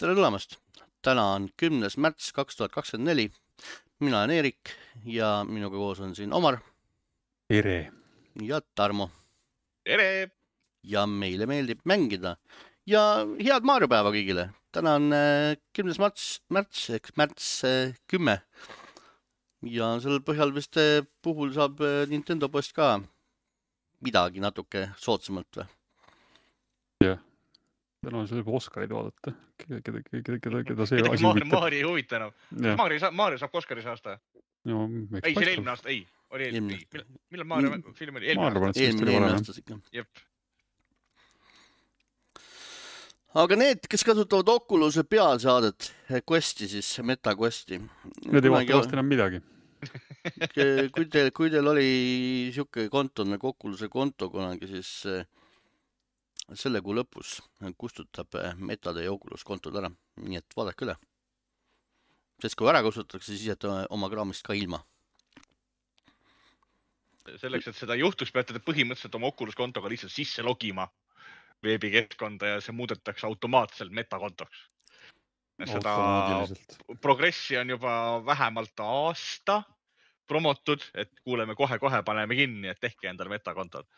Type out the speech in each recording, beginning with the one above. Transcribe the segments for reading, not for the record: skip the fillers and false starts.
Tere tulemast! Täna on 10. märts 2024. Mina olen Eerik ja minuga koos on siin Omar Tere! ja Tarmo. Tere! Ja meile meeldib mängida. Ja head Mario päeva kõigile! Täna on 10. märts ehk märts 10. Ja sellel põhjal vist puhul saab Nintendo post ka midagi natuke soodsamalt või? Jah. Täna on juba Oscarid vaadata. Keda see asi huvitab. Maari ei huvita enam. Maari saab Oscaris aasta? No, ei, see eelmine aasta. Ei, oli eelmine. Millal Maari film oli? Eelmine aastas ikka. Jep. Aga need, kes kasutavad Oculus'e pealsaadet Questi, siis Meta Questi. Need ei vaata vast enam midagi. Kui teil oli siuke konto nagu Oculus'e konto kunagi, siis selle kuu lõpus kustutab Meta teie Oculus kontod ära. Nii et vaadake üle. Sest kui ära kustutatakse, siis jääte oma kraamist ka ilma. Selleks, et seda juhtuks, peate te põhimõtteliselt oma Oculus kontoga lihtsalt sisse logima veebikeskkonda ja see muudetakse automaatselt Meta kontoks. Seda progressi on juba vähemalt aasta promotud, et kuuleme kohe paneme kinni, et tehke endale Meta kontod.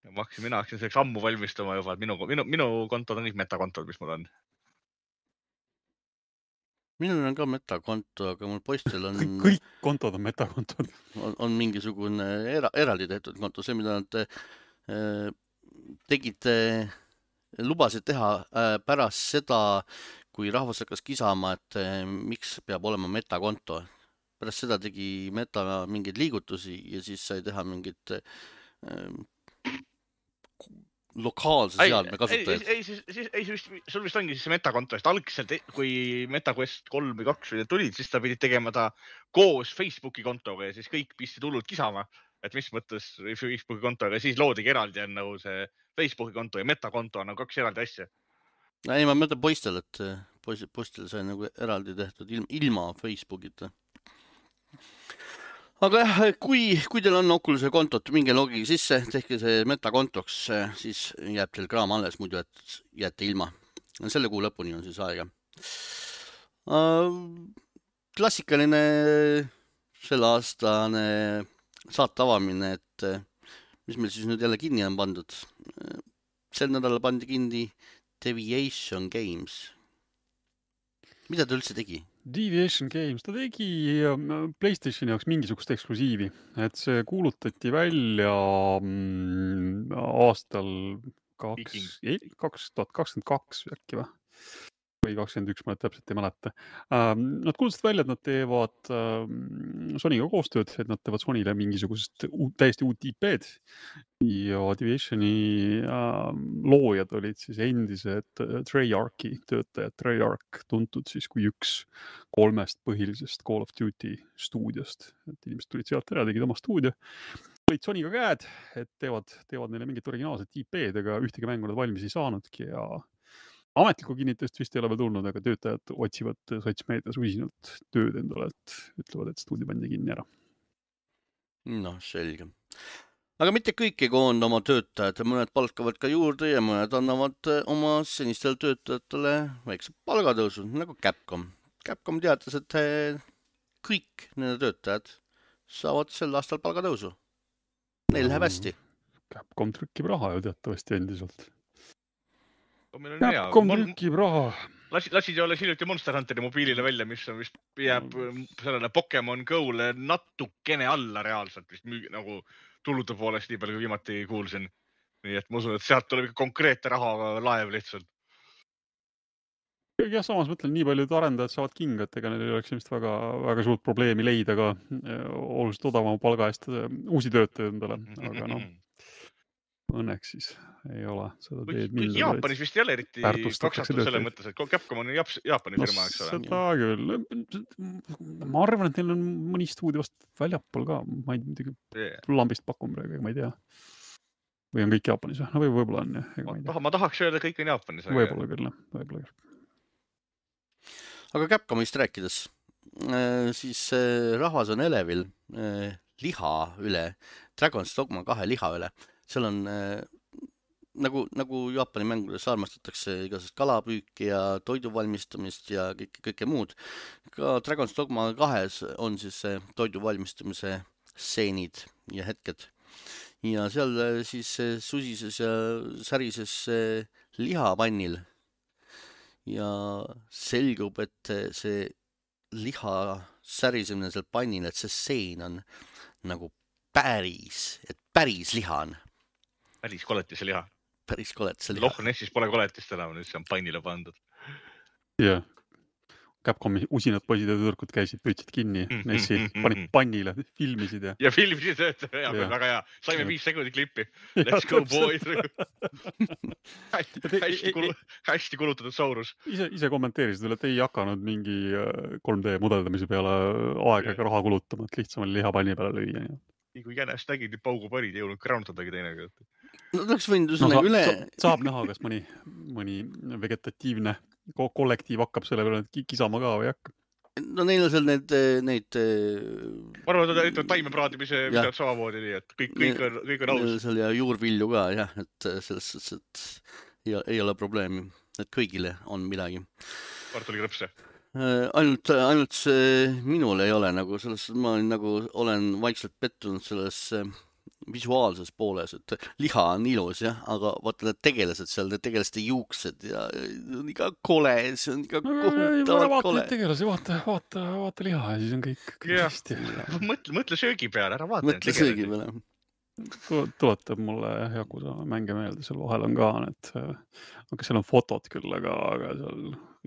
Mina hakkasin selleks ammu valmistama juba, et minu kontod on kõik Meta kontod, mis mul on. Minul on ka Meta konto, aga mul poistel on... Kõik kontod on Meta kontod. On mingisugune eraldi tehtud konto. See, mida nad lubasid teha pärast seda, kui rahvas hakkas kisama, et miks peab olema Meta konto. Pärast seda tegi Meta mingeid liigutusi ja siis sai teha mingid lokaalse seadme kasutajad. Sul vist ongi siis Meta konto, sest algselt, kui Meta Quest 3 või 2 tulid, siis ta pidi tegema ta koos Facebooki kontoga ja siis kõik pistid hullult kisama, et mis mõttes Facebooki kontoga ja siis loodigi eraldi on nagu see Facebooki konto ja Meta konto on nagu 2 eraldi asja. Ei, ma mõtlen poistel, et poistel sai nagu eraldi tehtud ilma Facebookita. Aga jah, kui teil on Oculus'e kontot, minge logige sisse, tehke see Meta kontoks, siis jääb teil kraam alles, muidu jääte ilma. Selle kuu lõpuni on siis aega. Klassikaline selle aastane saate avamine, et mis meil siis nüüd jälle kinni on pandud. Sel nädalal pandi kinni Deviation Games. Mida ta üldse tegi? Deviation Games, ta tegi PlayStationi jaoks mingisugust eksklusiivi, et see kuulutati välja aastal 2022 äkki või 21, ma täpselt ei mäleta. Nad kuulutasid välja, et nad teevad Sonyga koostööd, et nad teevad Sonyle mingisugusest täiesti uut IP-d ja Deviationi loojad olid siis endised Treyarchi töötajad. Treyarch tuntud siis kui üks 3 põhilisest Call of Duty stuudiost. Et inimesed tulid sealt ära, tegid oma stuudio. Olid Sonyga käed, et teevad neile mingit originaalset IP-d, aga ühtegi mängu nad valmis ei saanudki ja ametlikku kinnitust vist ei ole veel tulnud, aga töötajad otsivad sotsmeedias usinalt tööd endale, et ütlevad, et stuudio pandi kinni ära. No, selge. Aga mitte kõik ei koonda oma töötajad, mõned palkavad ka juurde ja mõned annavad oma senistele töötajatele väikse palgatõusu, nagu Capcom. Capcom teatas, et kõik nende töötajad saavad sel aastal palgatõusu. Neil läheb hästi. Capcom trükkib raha ju teatavasti endiselt. Capcom trükkib raha. Lasid ju alles hiljuti Monster Hunteri mobiilile välja, mis on vist jääb sellele Pokemon Go'le natukene alla reaalselt vist nagu tulude poolest nii palju kui viimati kuulsin. Nii et ma usun, et sealt tuleb konkreetne raha laev lihtsalt. Ja samas mõtlen, nii paljud arendajad saavad kinga, et ega neil ei oleks ilmselt väga suurt probleemi leida ka oluliselt odavama palga eest uusi töötajaid endale, aga noh, õnneks siis ei ole seda teed minna. Jaapanis vist ei ole eriti kaksatud selle mõttes, et Capcom on Jaapani firma, eks ole. Seda küll. Ma arvan, et neil on mõni stuudio vast väljapool ka. Ma ei muidugi lambist pakun praegu, ma ei tea. Või on kõik Jaapanis? No võib-olla on. Ma tahaks öelda, kõik on Jaapanis. Võib-olla küll. Aga Capcomist rääkides, siis rahvas on elevil liha üle, Dragon's Dogma 2 liha üle. Seal on nagu Jaapani mängudes armastatakse igasugust kalapüüki ja toidu valmistamist ja kõike muud. Ka Dragon's Dogma 2 on siis see toidu valmistamise stseenid ja hetked. Ja seal siis susises ja särises lihapannil. Ja selgub, et see liha särisemine seal pannil, et see stseen on nagu päris liha on. Päris koletise liha. Päris koletise liha. Loch Nessis pole koletist enam, nüüd see on pannile pandud. Jah. Capcomi usinad poisid ja tüdrukud käisid, püütsid kinni Nessi, panid pannile, filmisid ja... Ja filmisid, väga hea. Saime 5 sekundit klippi. Let's go, boys! hästi kulutatud Saurus. Ise kommenteerisid veel, et ei hakanud mingi 3D mudeldamise peale aega ega raha kulutama, et lihtsam oli liha panni peale lüüa. Nii kui jänest nägid, nii paugu panid, ei jõudnud kraunutadagi teine. No oleks võinud üsnega üle... Saab näha, kas mõni vegetatiivne kollektiiv hakkab selle peale kisama ka või hakka. No neil on seal neid... Ma arvan, et taimepraadimise midagi samamoodi, nii et kõik on aus. Neil on seal ja juurvilju ka, jah, et selles suhtes, et ei ole probleemi, et kõigile on midagi. Kartulikrõpse. Ainult minul ei ole nagu selles, ma olen vaikselt pettunud selles visuaalses pooles, et liha on ilus, jah, aga vaata need tegelased seal, need tegelaste juuksed ja on iga kole, see on iga kohutavalt kole. Vaata liha ja siis on kõik hästi. Mõtle söögi peale, ära vaata. Mõtle söögi peale. Tuletab mulle Yakuza mänge meelde, seal vahel on ka need, aga seal on fotod küll, aga seal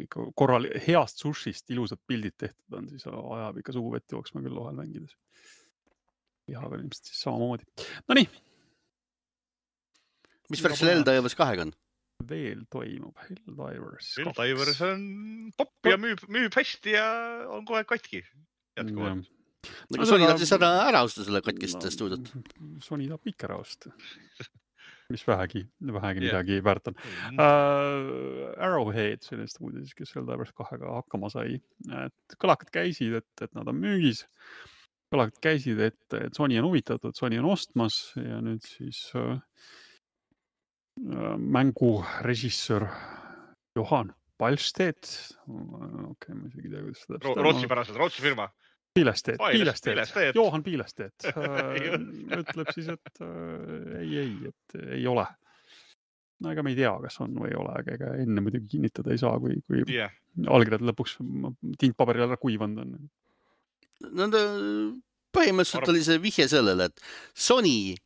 ikka korral heast sushist ilusad pildid tehtud on, siis ajab ikka suu vett jooksma küll vahel mängides. Lihaga ilmselt siis samamoodi. No nii. Mis värk seal Helldivers 2 on? Veel toimub Helldivers 2. Helldivers on popp ja müüb hästi ja on kohe katki. Jätkuvalt. Aga Sony tahab siis ära osta selle katkist stuudiot. Sony tahab ikka ära osta. Mis vähegi midagi väärt on. Arrowhead, sellest uudis, kes Helldivers 2-ga hakkama sai. Et kõlakad käisid, et nad on müügis. Kõlakad käisid, et Sony on huvitatud, Sony on ostmas ja nüüd siis mängurežissöör Johan Palstedt. Okei, ma isegi tea, kuidas seda... Rootsi firma. Piilestedt. Johan Piilestedt ütleb siis, et ei ole. No ega me ei tea, kas on või ei ole, aga enne muidugi kinnitada ei saa, kui allkirjad lõpuks tintpaberil ära kuivanud on. Põhimõtteliselt oli see vihje sellele, et Sony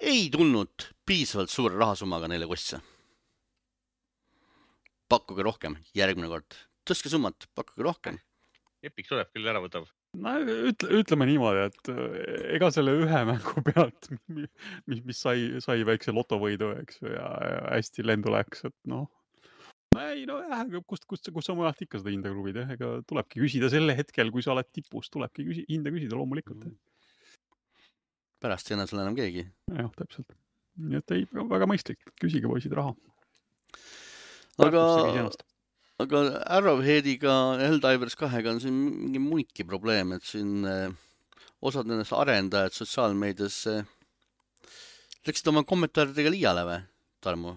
ei tulnud piisavalt suure rahasummaga neile kostse. Pakkuge rohkem, järgmine kord. Tõstke summat, pakkuge rohkem. Epic tuleb küll ära võtab. No, ütleme niimoodi, et ega selle ühe mängu pealt, mis sai väikse lotovõidu, eks, ja hästi lendu läks, et noh. Kust sa mujalt ikka seda hinda kruvid, ega tulebki küsida selle hetkel, kui sa oled tipus, tulebki hinda küsida loomulikult. Pärast ei enam seal enam keegi. Jah, täpselt. Nii et ei, väga mõistlik, küsige poisid raha. Aga Arrowheadiga Helldivers 2-ga on siin mingi muidki probleem, et siin osad nendest arendajad sotsiaalmeedias läksid oma kommentaaridega liiale või, Tarmo?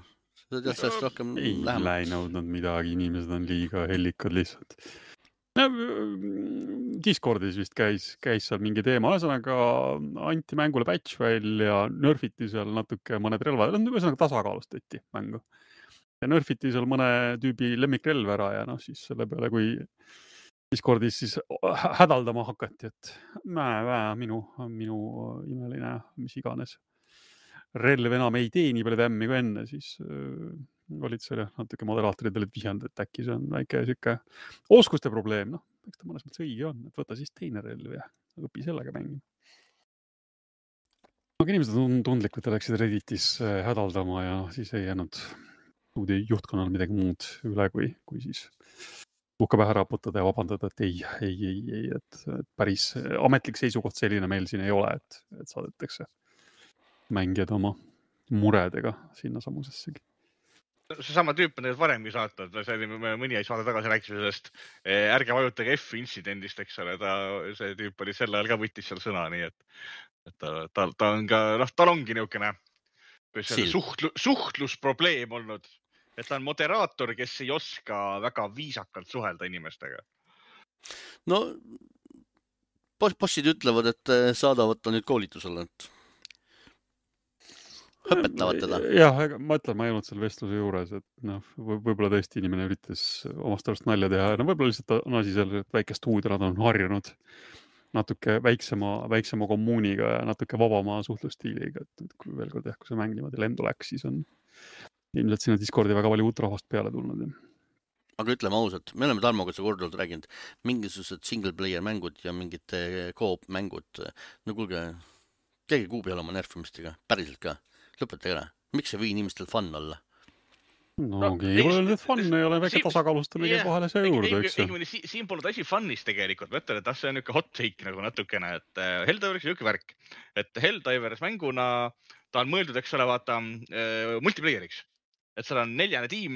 Ei läinud midagi, inimesed on liiga hellikad lihtsalt. Discordis vist käis seal mingi teema, ühesõnaga anti mängule patch välja, nerfiti seal natuke mõned relvad, ühesõnaga tasakaalustati mängu. Ja nerfiti seal mõne tüübi lemmikrelv ära ja siis selle peale, kui Discordis siis hädaldama hakati, et minu imeline, mis iganes. Relv enam ei tee nii palju tämmi kui enne, siis olid selle natuke moderaatorid olid vihjanud, et äkki see on väike siuke oskuste probleem, eks ta mõnes mõttes õige on, et võta siis teine relv ja õpi sellega mängima. Aga inimesed on tundlikud, läksid Redditis hädaldama ja siis ei jäänud juhtkonnal midagi muud üle, kui siis tuhka pähe raputada ja vabandada, et ei, et päris ametlik seisukoht selline meil siin ei ole, et saadetakse mängijad oma muredega sinna samusessegi. See sama tüüp on need varemgi saatnud, mõni saade tagasi rääkis sellest, ärge vajutage F-incidendist, eks ole, see tüüp oli sel ajal ka võttis seal sõna, nii et ta on ka, tal ongi niisugune suhtlusprobleem olnud, et ta on moderaator, kes ei oska väga viisakalt suhelda inimestega. No, bossid ütlevad, et saadavad ta nüüd koolitusele, et õpetavad teda. Jah, ma ütlen, ma ei olnud seal vestluse juures, et võib-olla tõesti inimene üritas omast arust nalja teha. No võib-olla lihtsalt on asi seal, et väike stuudio, nad on harjunud natuke väiksema kommuuniga ja natuke vabama suhtlustiiliga. Et kui veel kord kui see mäng niimoodi lendu läks, siis on ilmselt sinna Discordi väga palju uut rahvast peale tulnud. Aga ütleme ausalt, me oleme Tarmoga see korduvalt rääginud, mingisugused single player mängud ja mingid co-op mängud. No kuulge, keegi kuu peale oma nerfimistega, päriselt ka. Lõpetage ära. Miks ei või inimestel fun olla? No keegi pole öelnud, et fun ei ole väike tasakaalustamine vahele see juurde, eks ju. Siin pole asi funnis tegelikult. Ma ütlen, et see on niisugune hot take nagu natukene, et Helldivers on niisugune värk, et Helldivers mänguna ta on mõeldud, eks ole, vaata multiplayeriks. Et seal on 4. tiim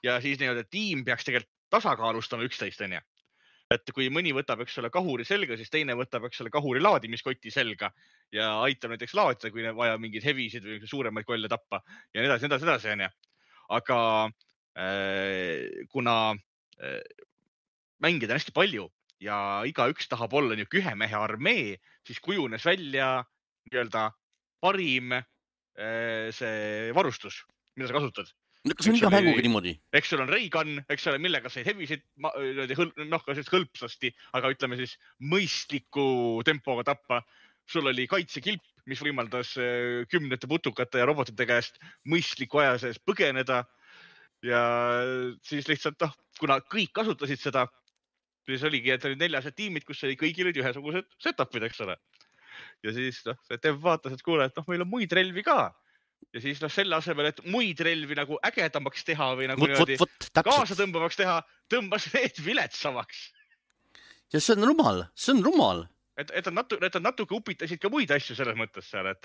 ja siis tiim peaks tegelikult tasakaalustama 11, on ju. Et kui mõni võtab, eks ole, kahuri selga, siis teine võtab, eks ole, kahuri laadimiskoti selga ja aitab näiteks laadida, kui vaja mingeid hevisid või suuremaid kolle tappa ja nii edasi, on ju. Aga kuna mängida on hästi palju ja igaüks tahab olla niisugune ühe mehe armee, siis kujunes välja nii-öelda parim see varustus, mida sa kasutad. Kas on iga mänguga niimoodi? Eks sul on Reigan, eks ole, millega said hevisid hõlpsasti, aga ütleme siis mõistliku tempoga tappa. Sul oli kaitsekilp, mis võimaldas 10 putukate ja robotite käest mõistliku aja sees põgeneda. Ja siis lihtsalt, kuna kõik kasutasid seda, siis oligi, et olid 4 tiimid, kus oli kõigil olid ühesugused setupid, eks ole. Ja siis see dev vaatas, et kuule, et meil on muid relvi ka. Ja siis selle asemel, et muid relvi nagu ägedamaks teha või nagu kaasa tõmbavaks teha, tõmbas need viletsamaks. Ja see on rumal. Et natuke upitasid ka muid asju selles mõttes seal, et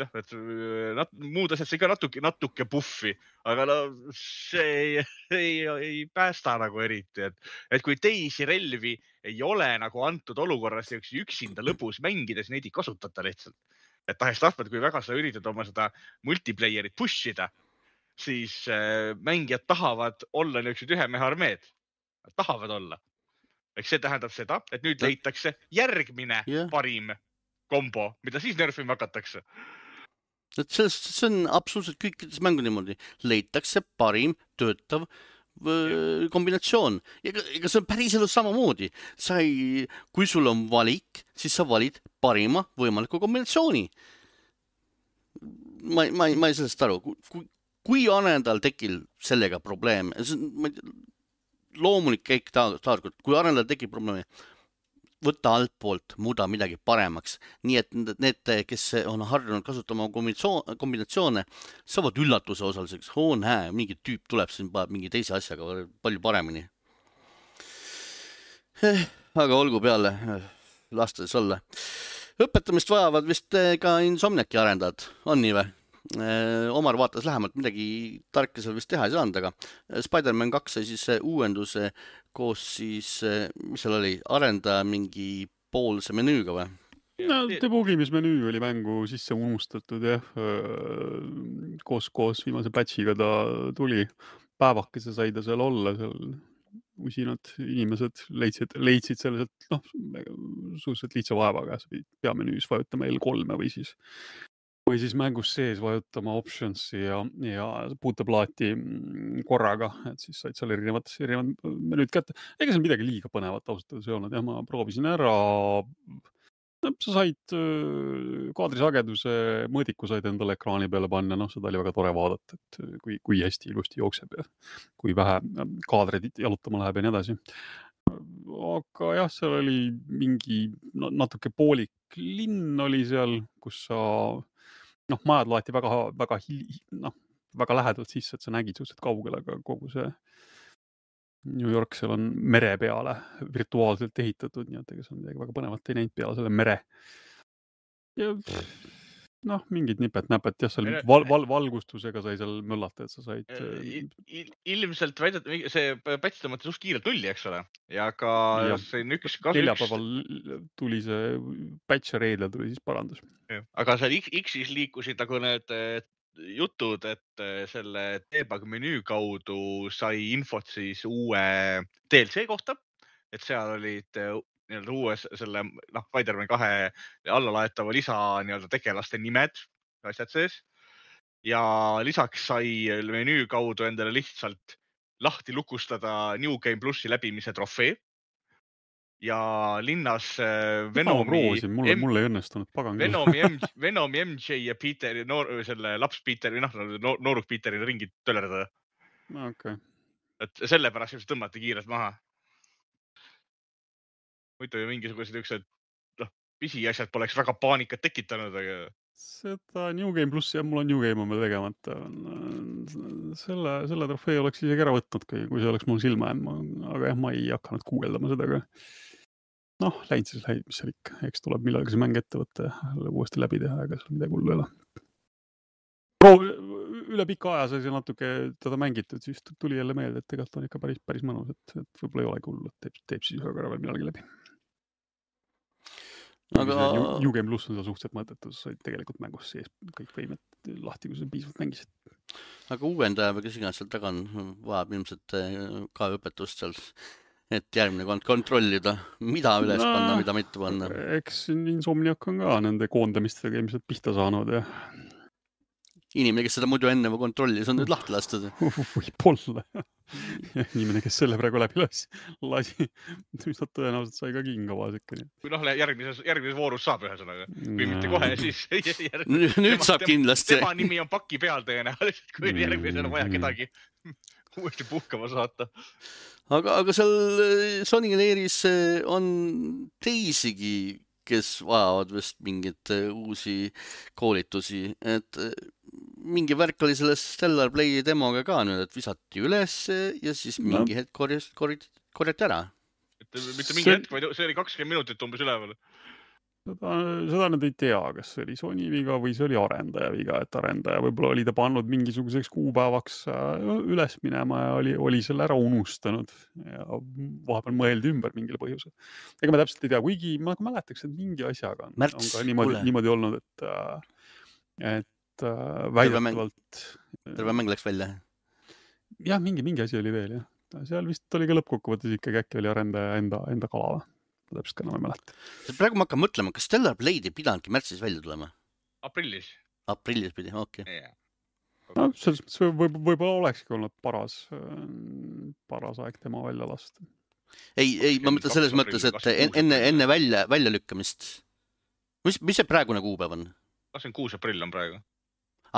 muud asjad sai ka natuke buffi, aga see ei päästa nagu eriti, et kui teisi relvi ei ole nagu antud olukorras üksinda lõbus mängides, neid ei kasutata lihtsalt. Et tahes-tahtvad, kui väga sa üritad oma seda multiplayerit pushida, siis mängijad tahavad olla niisugused ühe mehe armeed. Nad tahavad olla. Eks see tähendab seda, et nüüd leitakse järgmine parim kombo, mida siis nerfima hakatakse. Et see on absoluutselt kõikides mängu niimoodi. Leitakse parim töötav kombinatsioon. Ega see on päris elus samamoodi. Kui sul on valik, siis sa valid parima võimaliku kombinatsiooni. Ma ei sellest aru. Kui arendajal tekil sellega probleem, loomulik käik taarkord, kui arendajal tekib probleemi, võtta altpoolt, muuda midagi paremaks. Nii et need, kes on harjunud kasutama kombinatsioone, saavad üllatuse osaliseks. Näe, mingi tüüp tuleb siin mingi teise asjaga palju paremini. Aga olgu peale, lastes olla. Õpetamist vajavad vist ka Insomniaki arendajad, on nii või? Omar vaatas lähemalt, midagi tarka seal vist teha ei saanud, aga Spider-Man 2 sai siis uuenduse koos siis, mis seal oli, arendaja mingi poolse menüüga või? No, debugimismenüü oli mängu sisse unustatud, jah. Koos viimase patchiga ta tuli. Päevakese sai ta seal olla, seal usinad inimesed leidsid selliselt, suhteliselt lihtsa vaevaga, peamenüüs vajutama L3 või siis mängus sees vajutama optionsi ja puuteplaati korraga, et siis said seal erinevad menüüd kätte. Ega seal midagi liiga põnevat ausalt ei olnud, jah, ma proovisin ära. Sa said kaadrisageduse mõõdiku said endale ekraani peale panna, seda oli väga tore vaadata, et kui hästi ilusti jookseb ja kui vähe kaadreid jalutama läheb ja nii edasi. Aga jah, seal oli mingi natuke poolik linn oli seal, kus sa majad laeti väga lähedalt sisse, et sa nägid suhteliselt kaugel, aga kogu see New York seal on mere peale virtuaalselt ehitatud, nii et ega seal midagi väga põnevat ei näinud peale selle mere. Ja mingid nipet-näpet, jah, seal valgustusega sai seal möllata, et sa said... Ilmselt see patch tõmmati suht kiirelt nulli, eks ole? Ja ka see on üks... Neljapäeval tuli see patch ja reedel tuli siis parandus. Aga seal X-is liikusid nagu need jutud, et selle debug menüü kaudu sai infot siis uue DLC kohta, et seal olid nii-öelda uues selle Spider-Man 2 allalaetava lisa nii-öelda tegelaste nimed, asjad sees. Ja lisaks sai menüü kaudu endale lihtsalt lahti lukustada New Game Plussi läbimise trofee. Ja linnas mulle ei õnnestunud, pagan küll. Venomi MJ ja Peteri, selle laps Peteri, nooruk Peteri ringi tölerdada. Okay. Et sellepärast just tõmmati kiirelt maha. Muidu ju mingisugused üksed pisiasjad poleks väga paanikat tekitanud, aga... Seda New Game Plussi ja mul on New Game on veel tegemata. Selle trofee oleks isegi ära võtnud, kui see oleks mul silma jäänud, aga jah, ma ei hakanud guugeldama seda ka. Läinud siis, mis seal ikka. Eks tuleb millalgi see mäng ette võtta ja uuesti läbi teha, ega seal midagi hullu ei ole. Üle pika aja sai see natuke teda mängitud, siis tuli jälle meelde, et tegelikult on ikka päris mõnus, et võib-olla ei olegi hullu, et teeb siis ühe korra veel millalgi läbi. Aga New Game Plus on seal suhteliselt mõõdetud, sa said tegelikult mängus sees kõik võimed lahti, kui sa piisavalt mängisid. Aga uuendaja või kes iganes seal taga on, vajab ilmselt ka õpetust seal, et järgmine kord kontrollida, mida üles panna, mida mitte panna. Eks Insomniac on ka nende koondamistega ilmselt pihta saanud ja... Inimene, kes seda muidu enne kontrollis, on nüüd lahti lastud. Võib-olla. Inimene, kes selle praegu läbi lasi, mis nad tõenäoliselt sai ka kinga vasikka. Kui järgmises voorus saab ühesõnaga. Kui mitte kohe, siis... Nüüd saab kindlasti. Tema nimi on paki peal tõenäoliselt, kui järgmisel on vaja kedagi uuesti puhkama saata. Aga seal Sony Leiris on teisigi, kes vajavad vist mingit uusi koolitusi, et mingi värk oli selles Stellar Play demoga ka nüüd, et visati üles ja siis mingi hetk korjati ära. Mitte mingi hetk, vaid see oli 20 minutit umbes üleval. Seda nad ei tea, kas see oli Sony viga või see oli arendaja viga, et arendaja võib-olla oli ta pannud mingisuguseks kuupäevaks üles minema ja oli selle ära unustanud ja vahepeal mõeldi ümber mingile põhjusel. Ega ma täpselt ei tea, kuigi ma mäletaks, et mingi asjaga on ka niimoodi olnud, et väidetavalt... Terve mäng läks välja? Jah, mingi asi oli veel, jah. Seal vist oli ka lõppkokkuvõttes ikkagi äkki oli arendaja enda kala või? Täpselt ka enam ei mäleta. Praegu ma hakkan mõtlema, kas Stellar Blade ei pidanudki märtsis välja tulema? Aprillis. Aprillis pidi, okei. Okay. See võib-olla olekski olnud paras aeg tema välja lasta. Ei, ma mõtlen selles mõttes, et enne välja lükkamist. Mis see praegune kuupäev on? 26 aprill on praegu.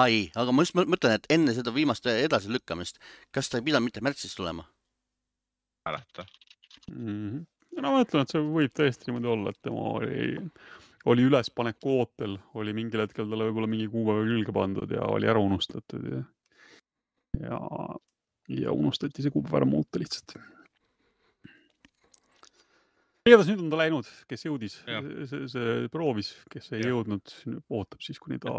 Ei, aga ma just mõtlen, et enne seda viimast edasi lükkamist, kas ta ei pidanud mitte märtsis tulema? Mäleta. Ma mõtlen, et see võib tõesti niimoodi olla, et tema oli ülespaneku ootel, oli mingil hetkel talle võib-olla mingi kuupäeva külge pandud ja oli ära unustatud ja unustati see kuupäeva ära muuta lihtsalt. Igatahes nüüd on ta läinud, kes jõudis, see proovis, kes ei jõudnud, ootab siis, kuni ta,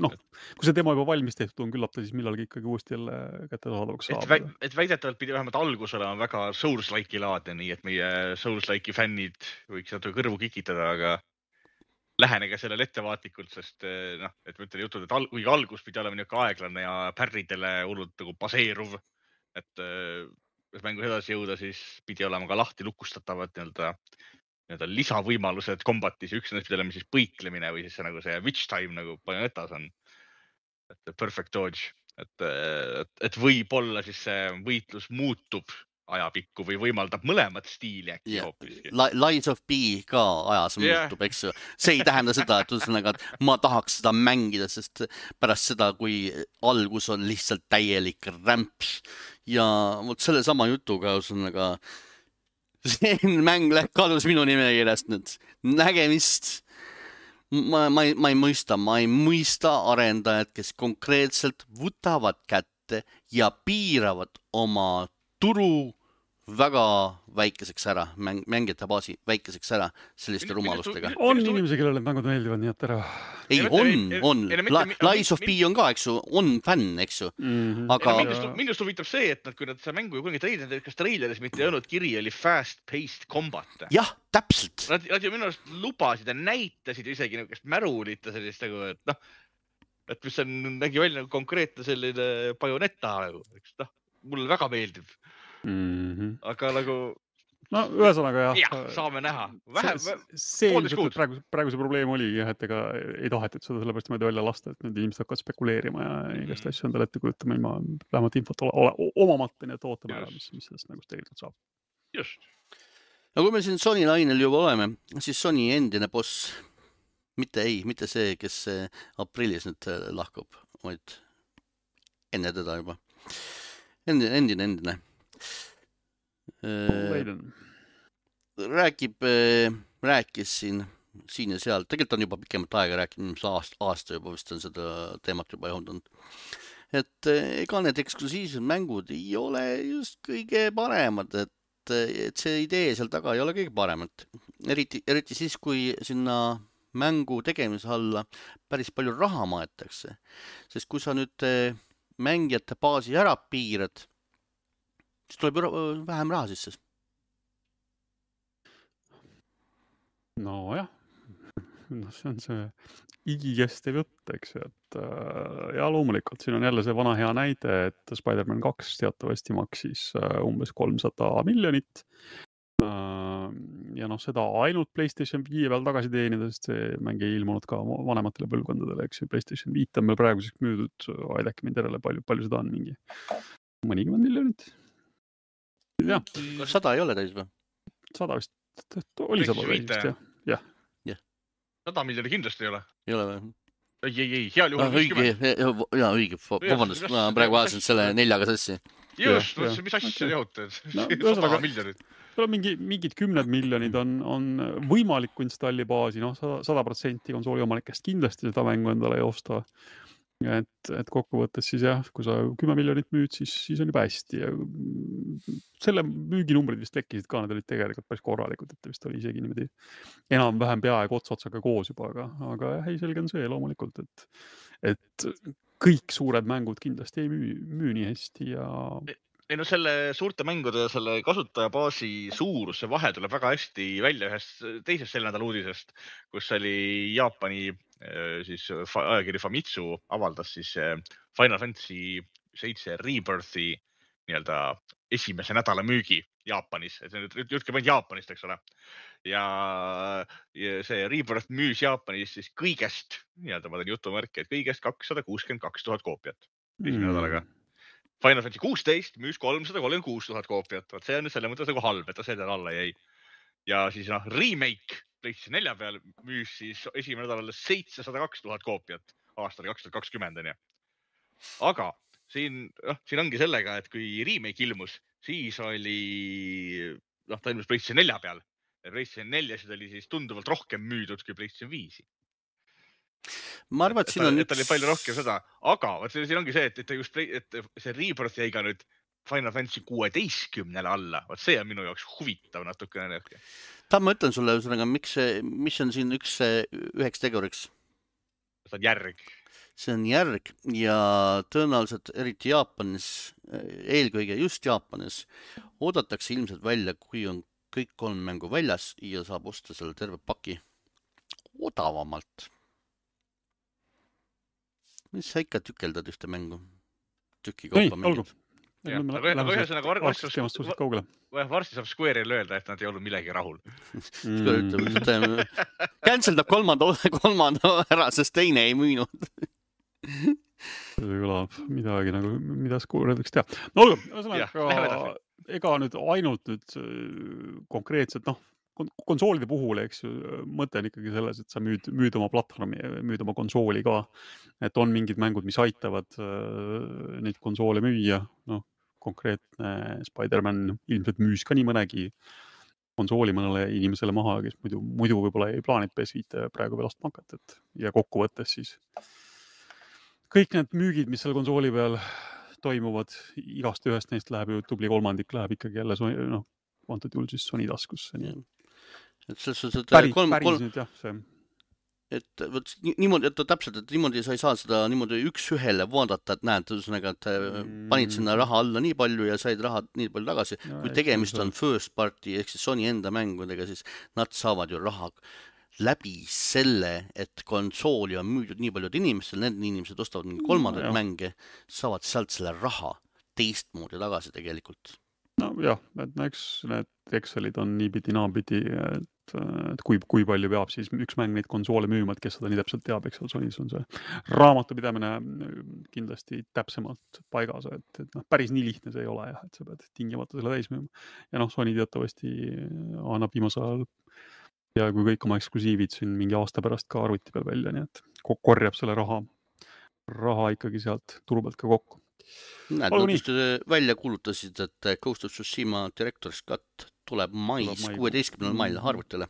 kui see demo juba valmis tehtud on, küllap ta siis millalgi ikkagi uuesti jälle kättesaadavaks saab. Et väidetavalt pidi vähemalt algus olema väga Souls-like'i laadne, nii et meie Souls-like'i fännid võiks natuke kõrvu kikitada, aga lähenege sellele ettevaatlikult, sest et ma ütlen jutud, et kuigi algus pidi olema niisugune aeglane ja pärridele hullult nagu baseeruv, et kui mängus edasi jõuda, siis pidi olema ka lahti lukustatavad nii-öelda lisavõimalused kombatis. Üks neist pidi olema siis põiklemine või siis nagu see witch time nagu Bayonetas on. Et perfect dodge. Et võib-olla siis see võitlus muutub ajapikku või võimaldab mõlemat stiili äkki hoopiski. Lies of P ka ajas muutub, eks ju. See ei tähenda seda, et ma tahaks seda mängida, sest pärast seda, kui algus on lihtsalt täielik rämps ja selle sama jutuga see mäng kadus minu nimekirjast nüüd. Nägemist. Ma ei mõista arendajad, kes konkreetselt võtavad kätte ja piiravad oma turu väga väikeseks ära, mängijate baasi väikeseks ära selliste rumalustega. On inimesi, kellele mängud meeldivad, nii et ära. Ei, on. Lies of P on ka, eks ju, on fänn, eks ju. Aga... Minust huvitab see, et kui nad seda mängu kunagi treilinud, kas treileris mitte ei olnud kiri, oli fast-paced combat. Jah, täpselt. Nad ju minu arust lubasid ja näitasid isegi niisugust märulita sellist, et et mis nägi välja nagu konkreetne selline Bayonetta nagu, eks mulle väga meeldib. Aga nagu no ühesõnaga jah, saame näha. See ilmselt praegu see probleem oli jah, et ega ei tahetud seda sellepärast mööda välja lasta, et nüüd inimesed hakkavad spekuleerima ja igast asju endale ette kujutama ilma vähemalt infot omamata, nii et ootame ära, mis sellest nagu tegelikult saab. Just. No kui me siin Sony lainel juba oleme, siis Sony endine boss, mitte see, kes aprillis nüüd lahkub, vaid enne teda juba. Endine. Rääkis siin ja seal, tegelikult on juba pikemat aega rääkinud, aasta juba vist on seda teemat juba jõudnud. Et ega need eksklusiivsed mängud ei ole just kõige paremad, et see idee seal taga ei ole kõige paremat. Eriti siis, kui sinna mängu tegemise alla päris palju raha maetakse. Sest kui sa nüüd mängijate baasi ära piirad, siis tuleb vähem raha sisse. No jah, see on see igikestev jutt, eks, et ja loomulikult siin on jälle see vana hea näide, et Spider-Man 2 teatavasti maksis umbes 300 miljonit ja seda ainult PlayStation 5 peal tagasi teenida, sest see mäng ei ilmunud ka vanematele põlvkondadele, eks ju, PlayStation 5 on meil praeguseks müüdud, aidake mind järele, palju seda on, mingi mõnikümmend miljonit. Ja. 100 ei ole täis või? 100 vist, oli 100 vist, jah. 100 miljoni kindlasti ei ole. Ei ole või? Ei, heal juhul 50. Jaa, õige, vabandust, ma praegu vaatasin selle 4-ga sassi. Just, mis asja jõutud? 100 miljonit. Mingid 10 miljonid on võimalikku installibaasi, 100% konsooli omanikest kindlasti seda mängu endale ei osta. Et kokkuvõttes siis jah, kui sa 10 miljonit müüd, siis on juba hästi. Ja selle müüginumbrid vist tekkisid ka, need olid tegelikult päris korralikud, et vist oli isegi niimoodi enam-vähem peaaegu otsotsaga koos juba, aga ei, selge on see loomulikult, et kõik suured mängud kindlasti ei müü nii hästi ja... Ei selle suurte mängude ja selle kasutajabaasi suurus, see vahe tuleb väga hästi välja ühest teisest selle nädala uudisest, kus oli Jaapani siis ajakiri Famitsu avaldas siis Final Fantasy 7 Rebirthi nii-öelda esimese nädala müügi Jaapanis. Et jutt käib ainult Jaapanist, eks ole. Ja see Rebirth müüs Jaapanis siis kõigest, nii-öelda ma teen jutumärki, et kõigest 262 000 koopiat esimene nädalaga. Final Fantasy 16 müüs 336 000 koopiat. See on nüüd selle mõttes nagu halb, et ta selle alla jäi. Ja siis remake PlayStation 4 peal müüs siis esimene nädalale 702 000 koopiat aastal 2020. Aga siin ongi sellega, et kui remake ilmus, siis oli, ta ilmus PlayStation 4 peal. Ja PlayStation 4 oli siis tunduvalt rohkem müüdud kui PlayStation 5. Ma arvan, et siin on üks... oli palju rohkem seda, aga siin ongi see, et see Rebirth jäi ka nüüd Final Fantasy 16 alla. See on minu jaoks huvitav natukene. Ma ütlen sulle, mis on siin üheks teguriks? See on järg. See on järg ja tõenäoliselt eriti Jaapanis, eelkõige just Jaapanis, oodatakse ilmselt välja, kui on kõik 3 mängu väljas ja saab osta selle terve paki odavamalt. Mis sa ikka tükeldad ühte mängu? Tüki kaupa mängid. Varsti saab Square'il öelda, et nad ei olnud millegi rahul. Canceldab kolmanda ära, sest teine ei müünud. See kõlab midagi nagu, mida Square võiks teha. No olgu, ega nüüd ainult konkreetselt, konsoolide puhul, eks ju, mõte on ikkagi selles, et sa müüd oma platvormi, müüd oma konsooli ka. Et on mingid mängud, mis aitavad neid konsoole müüa. Konkreetne Spider-Man ilmselt müüs ka nii mõnegi konsooli mõnele inimesele maha, kes muidu võib-olla ei plaanid PS5 praegu veel ostma hakata. Ja kokkuvõttes siis kõik need müügid, mis selle konsooli peal toimuvad, igast ühest neist läheb ju tubli kolmandik, läheb ikkagi jälle antud juhul siis Sony taskusse. Päris nüüd jah, see. Et niimoodi, et täpselt, et niimoodi sa ei saa seda niimoodi üks-ühele vaadata, et näed, et panid sinna raha alla nii palju ja said raha nii palju tagasi. Kui tegemist on first party, ehk siis Sony enda mängudega, siis nad saavad ju raha läbi selle, et konsooli on müüdud nii paljud inimestel, need inimesed ostavad mingi kolmandaid mänge, saavad sealt selle raha teistmoodi tagasi tegelikult. No jah, et eks need Excelid on niipidi naapidi, et kui palju peab siis üks mäng neid konsoole müüma, et kes seda nii täpselt teab, eks Sonys on see raamatupidamine kindlasti täpsemalt paigas, et päris nii lihtne see ei ole jah, et sa pead tingimata selle täis müüma. Ja Sony teatavasti annab viimasel ajal ja kui kõik oma eksklusiivid siin mingi aasta pärast ka arvuti peal välja, nii et korjab selle raha ikkagi sealt turu pealt ka kokku. Näed, nad just välja kuulutasid, et Ghost of Tsushima Director's Cut tuleb mais, 16. mail arvutile.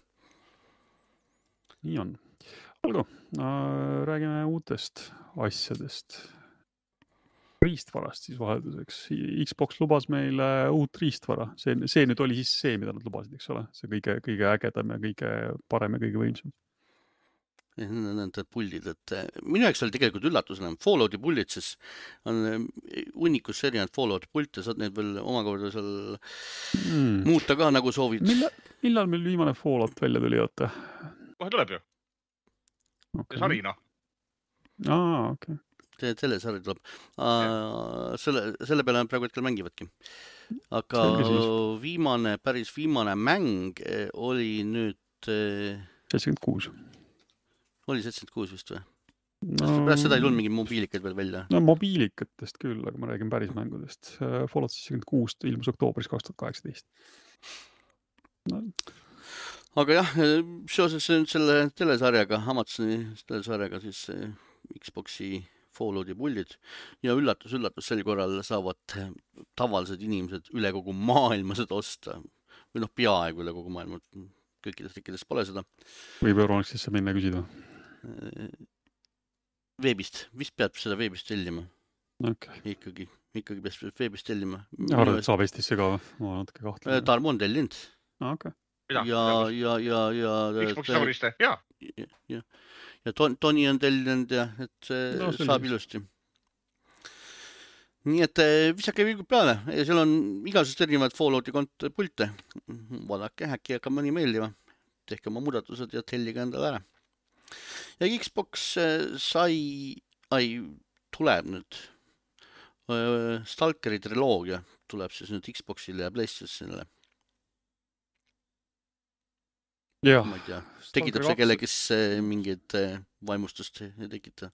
Nii on. Olgu, räägime uutest asjadest. Riistvarast siis vahelduseks. Xbox lubas meile uut riistvara. See nüüd oli siis see, mida nad lubasid, eks ole? See kõige ägedam ja kõige parem ja kõige võimsam. Need puldid, et minu jaoks oli tegelikult üllatusena. Fallouti puldid, siis on hunnikus erinevad Fallouti pulte, saad neid veel omakorda seal muuta ka nagu soovid. Millal meil viimane Fallout välja tuli, oota? Kohe tuleb ju. Okay. Sarina. Okay. Telesari tuleb. Selle peale nad praegu hetkel mängivadki. Aga päris viimane mäng oli nüüd 76. Oli 76 vist või? Pärast seda ei tulnud mingi mobiilikaid veel välja. No mobiilikatest küll, aga ma räägin päris mängudest. Fallout 76 ilmus oktoobris 2018. No. Aga jah, seoses selle telesarjaga, Amazoni telesarjaga siis Xboxi Fallouti puldid ja üllatus, sel korral saavad tavalised inimesed üle kogu maailma seda osta. Või peaaegu üle kogu maailma. Kõikides riikides pole seda. Võib Euronixisse minna küsida? Veebist. Vist peab seda veebist tellima. Okay. Ikkagi peab veebist tellima. Arvad, et saab Eestisse ka või? Ma natuke kahtlen. Tarmo on tellinud. Okay. Ja Xbox Sauriste, jaa. Ja Toni on tellinud ja et saab ilusti. Nii et visake vilgud peale ja seal on igasugused erinevad Fallouti pulte. Vaadake, äkki hakkab mõni meeldima. Tehke oma muudatused ja tellige endale ära. Ja Xbox tuleb nüüd. Stalkeri triloogia tuleb siis nüüd Xboxile ja PlayStationile. Ma ei tea, tekitab see kellegis mingid vaimustust ei tekita?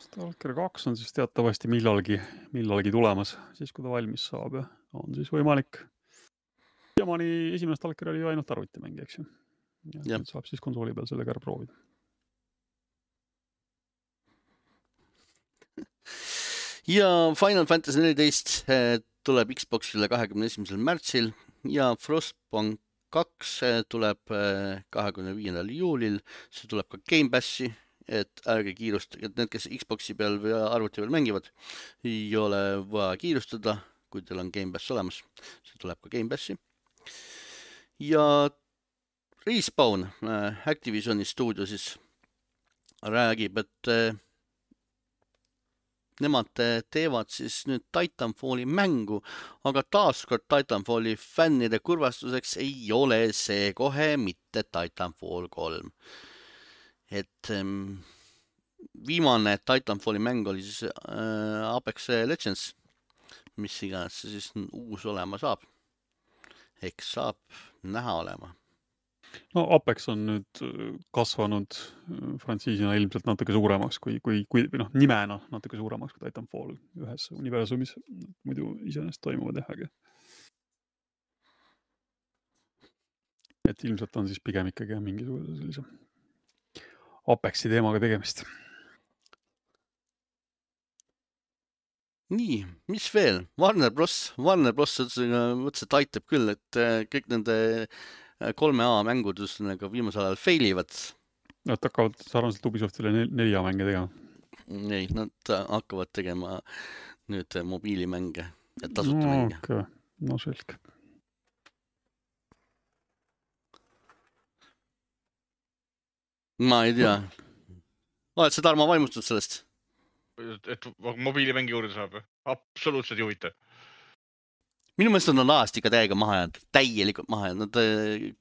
Stalker 2 on siis teatavasti millalgi tulemas, siis kui ta valmis saab ja on siis võimalik. Jamani esimene Stalker oli ainult arvutimäng, eks ju. Ja saab siis konsooli peal sellega ära proovida. Ja Final Fantasy 14 tuleb Xboxile 21. märtsil ja Frostpunk 2 tuleb 25. juulil. See tuleb ka Game Passi, et ärge kiirustage, et need, kes Xboxi peal või arvuti peal mängivad, ei ole vaja kiirustada, kui teil on Game Pass olemas. See tuleb ka Game Passi. Ja Respawn, Activisioni stuudio siis räägib, et nemad teevad siis nüüd Titanfalli mängu, aga taaskord Titanfalli fännide kurvastuseks ei ole see kohe mitte Titanfall 3. Et viimane Titanfalli mäng oli siis Apex Legends, mis iganes see siis uus olema saab. Eks saab näha olema. No Apex on nüüd kasvanud frantsiisina ilmselt natuke suuremaks kui nimena natuke suuremaks kui Titanfall ühes universumis. Muidu iseenesest toimuvad äge. Et ilmselt on siis pigem ikkagi mingisuguse sellise Apexi teemaga tegemist. Nii, mis veel? Warner Bros. Mõtles, et aitab küll, et kõik nende 3A mängud viimasel ajal failivad. Nad hakkavad sarnaselt Ubisoftile 4A mänge tegema. Ei, nad hakkavad tegema nüüd mobiilimänge ja tasuta mänge. Okay. No selge. Ma ei tea. Oled sa, Tarmo, vaimustatud sellest? Et mobiilimängi juurde saab? Absoluutselt ei huvita. minu mõelest on alast ikka täielikult maha jäänud. Nad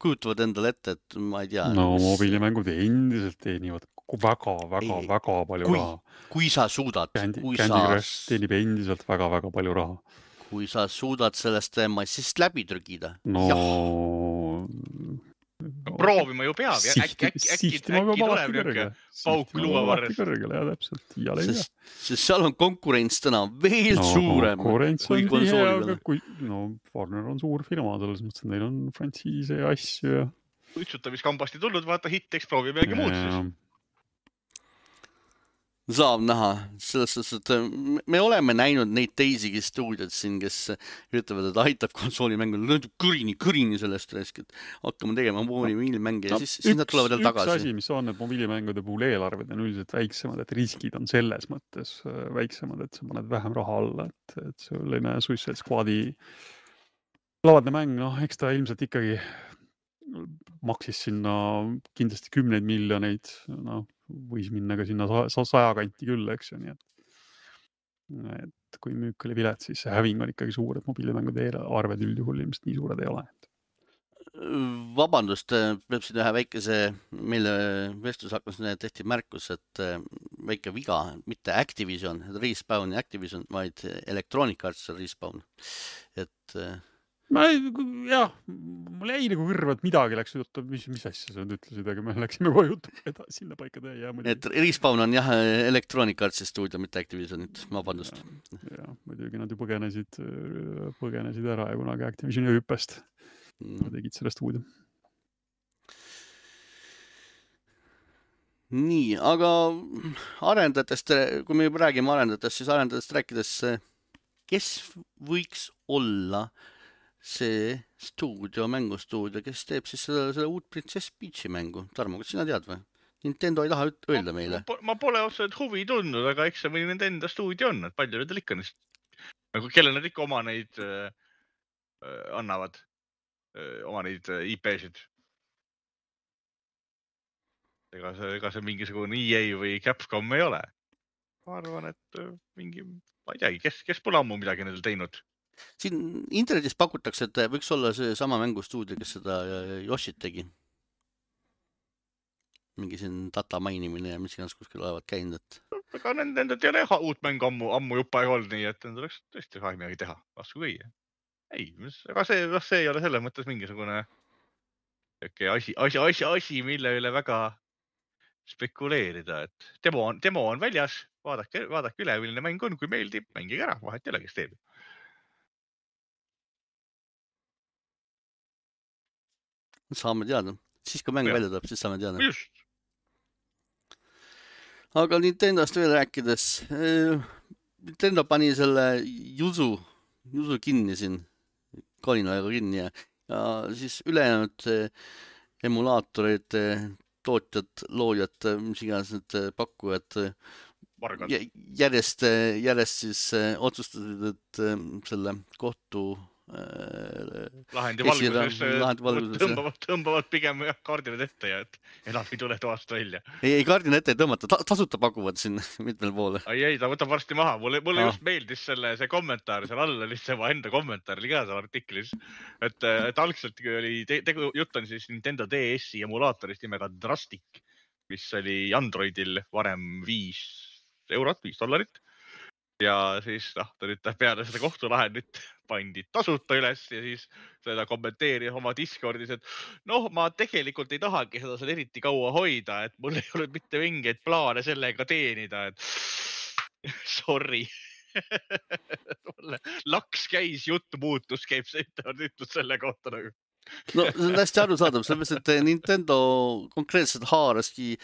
kujutavad endale ette, et ma ei tea. No mobiilimängud endiselt teenivad väga palju raha. Kui sa suudad. Candy Crush teenib endiselt väga palju raha. Kui sa suudad sellest massist läbi trügida. No... proovima ju peab. Äkki tuleb niuke pauk luua varres. Kõrgele, ja täpselt. Sest seal on konkurents täna veel suurem. Konkurents on tihe, aga Warner on suur firma, selles mõttes, et neil on frantsiise ja asju ja... Uitsutamiskambast ei tulnud, vaata hitteks proovi midagi muud siis. Saab näha, selles suhtes, et me oleme näinud neid teisigi stuudiod siin, kes ütlevad, et aitab konsoolimängul kõrini sellest raisk, et hakkame tegema mobiilimänge ja siis nad tulevad jälle tagasi. Üks asi, mis on, et mobiilimängude puhul eelarved on üldiselt väiksemad, et riskid on selles mõttes väiksemad, et sa paned vähem raha alla, et selline Suicide Squadi lavadne mäng, eks ta ilmselt ikkagi maksis sinna kindlasti 10 miljoneid, võis minna ka sinna 100 kanti küll, eks ju, nii et kui müük oli vilet, siis see häving on ikkagi suur, et mobiilimängude arved üldjuhul ilmselt nii suured ei ole. Vabandust, peab siin ühe väikese, meile vestlus hakkas tehti märkus, et väike viga, mitte Activision, Respawn ja Activision, vaid Electronic Arts Respawn, et jah, mul jäi nagu kõrva, et midagi läks juttu, mis asja sa nüüd ütlesid, aga me läksime kohe juttu edasi sinna paika tee. Et Respawn on jah Electronic Artsi stuudio, mitte Activisionit, vabandust. Ja, muidugi nad ju põgenesid ära ja kunagi Activisioni hüppest. Nad tegid selle stuudio. Nii, aga arendajatest, kui me juba räägime arendajatest, siis arendajatest rääkides, kes võiks olla see mängustuudio, kes teeb siis selle uut Princess Peachi mängu. Tarmo, kas sina tead või? Nintendo ei taha öelda meile. Ma pole otseselt huvi tundnud, aga eks see või nende enda stuudio on, et palju nendel ikka neist. Kelle nad ikka oma neid annavad, oma neid IP-sid. Ega see mingisugune EA või Capcom ei ole. Ma arvan, et mingi, ma ei teagi, kes pole ammu midagi nendel teinud. Siin internetis pakutakse, et võiks olla see sama mängustuudio, kes seda Yoshit tegi. Mingi siin data mainimine ja mis iganes kuskil olevat käinud. Aga nendel ei ole uut mängu ammu jupa ei olnud, nii et nendel oleks tõesti midagi teha. Vastu kõige. Ei, aga see ei ole selles mõttes mingisugune asi, mille üle väga spekuleerida. Et demo on väljas, vaadake üle, milline mäng on, kui meeldib, mängige ära, vahet ei ole, kes teeb. Saame teada. Siis kui mäng välja tuleb, siis saame teada. Just. Aga Nintendost veel rääkides. Nintendo pani selle Yuzu kinni siin. Kalinaga kinni ja siis ülejäänud emulaatorid, tootjad, loojad, mis iganes need pakkujad järjest siis otsustasid, et selle kohtu lahendi valguses tõmbavad pigem kaardile ette ja et enam ei tule toast välja. Ei kaardile ette ei tõmmata, tasuta pakuvad siin mitmel poole. Ei, ta võtab varsti maha. Mulle just meeldis see kommentaar, seal all oli see enda kommentaar, oli ka seal artiklis. Et algselt oli jutt on siis Nintendo DS-i emulaatorist nimega Drastic, mis oli Androidil varem $5, $5. Ja siis ta nüüd peale seda kohtulahendit pandi tasuta üles ja siis seda kommenteeris oma Discordis, et ma tegelikult ei tahagi seda seal eriti kaua hoida, et mul ei olnud mitte mingeid plaane sellega teenida, et sorry. Laks käis, jutt muutus, käib see ütlus selle kohta nagu. No see on hästi arusaadav, sellepärast, et Nintendo konkreetselt haaraski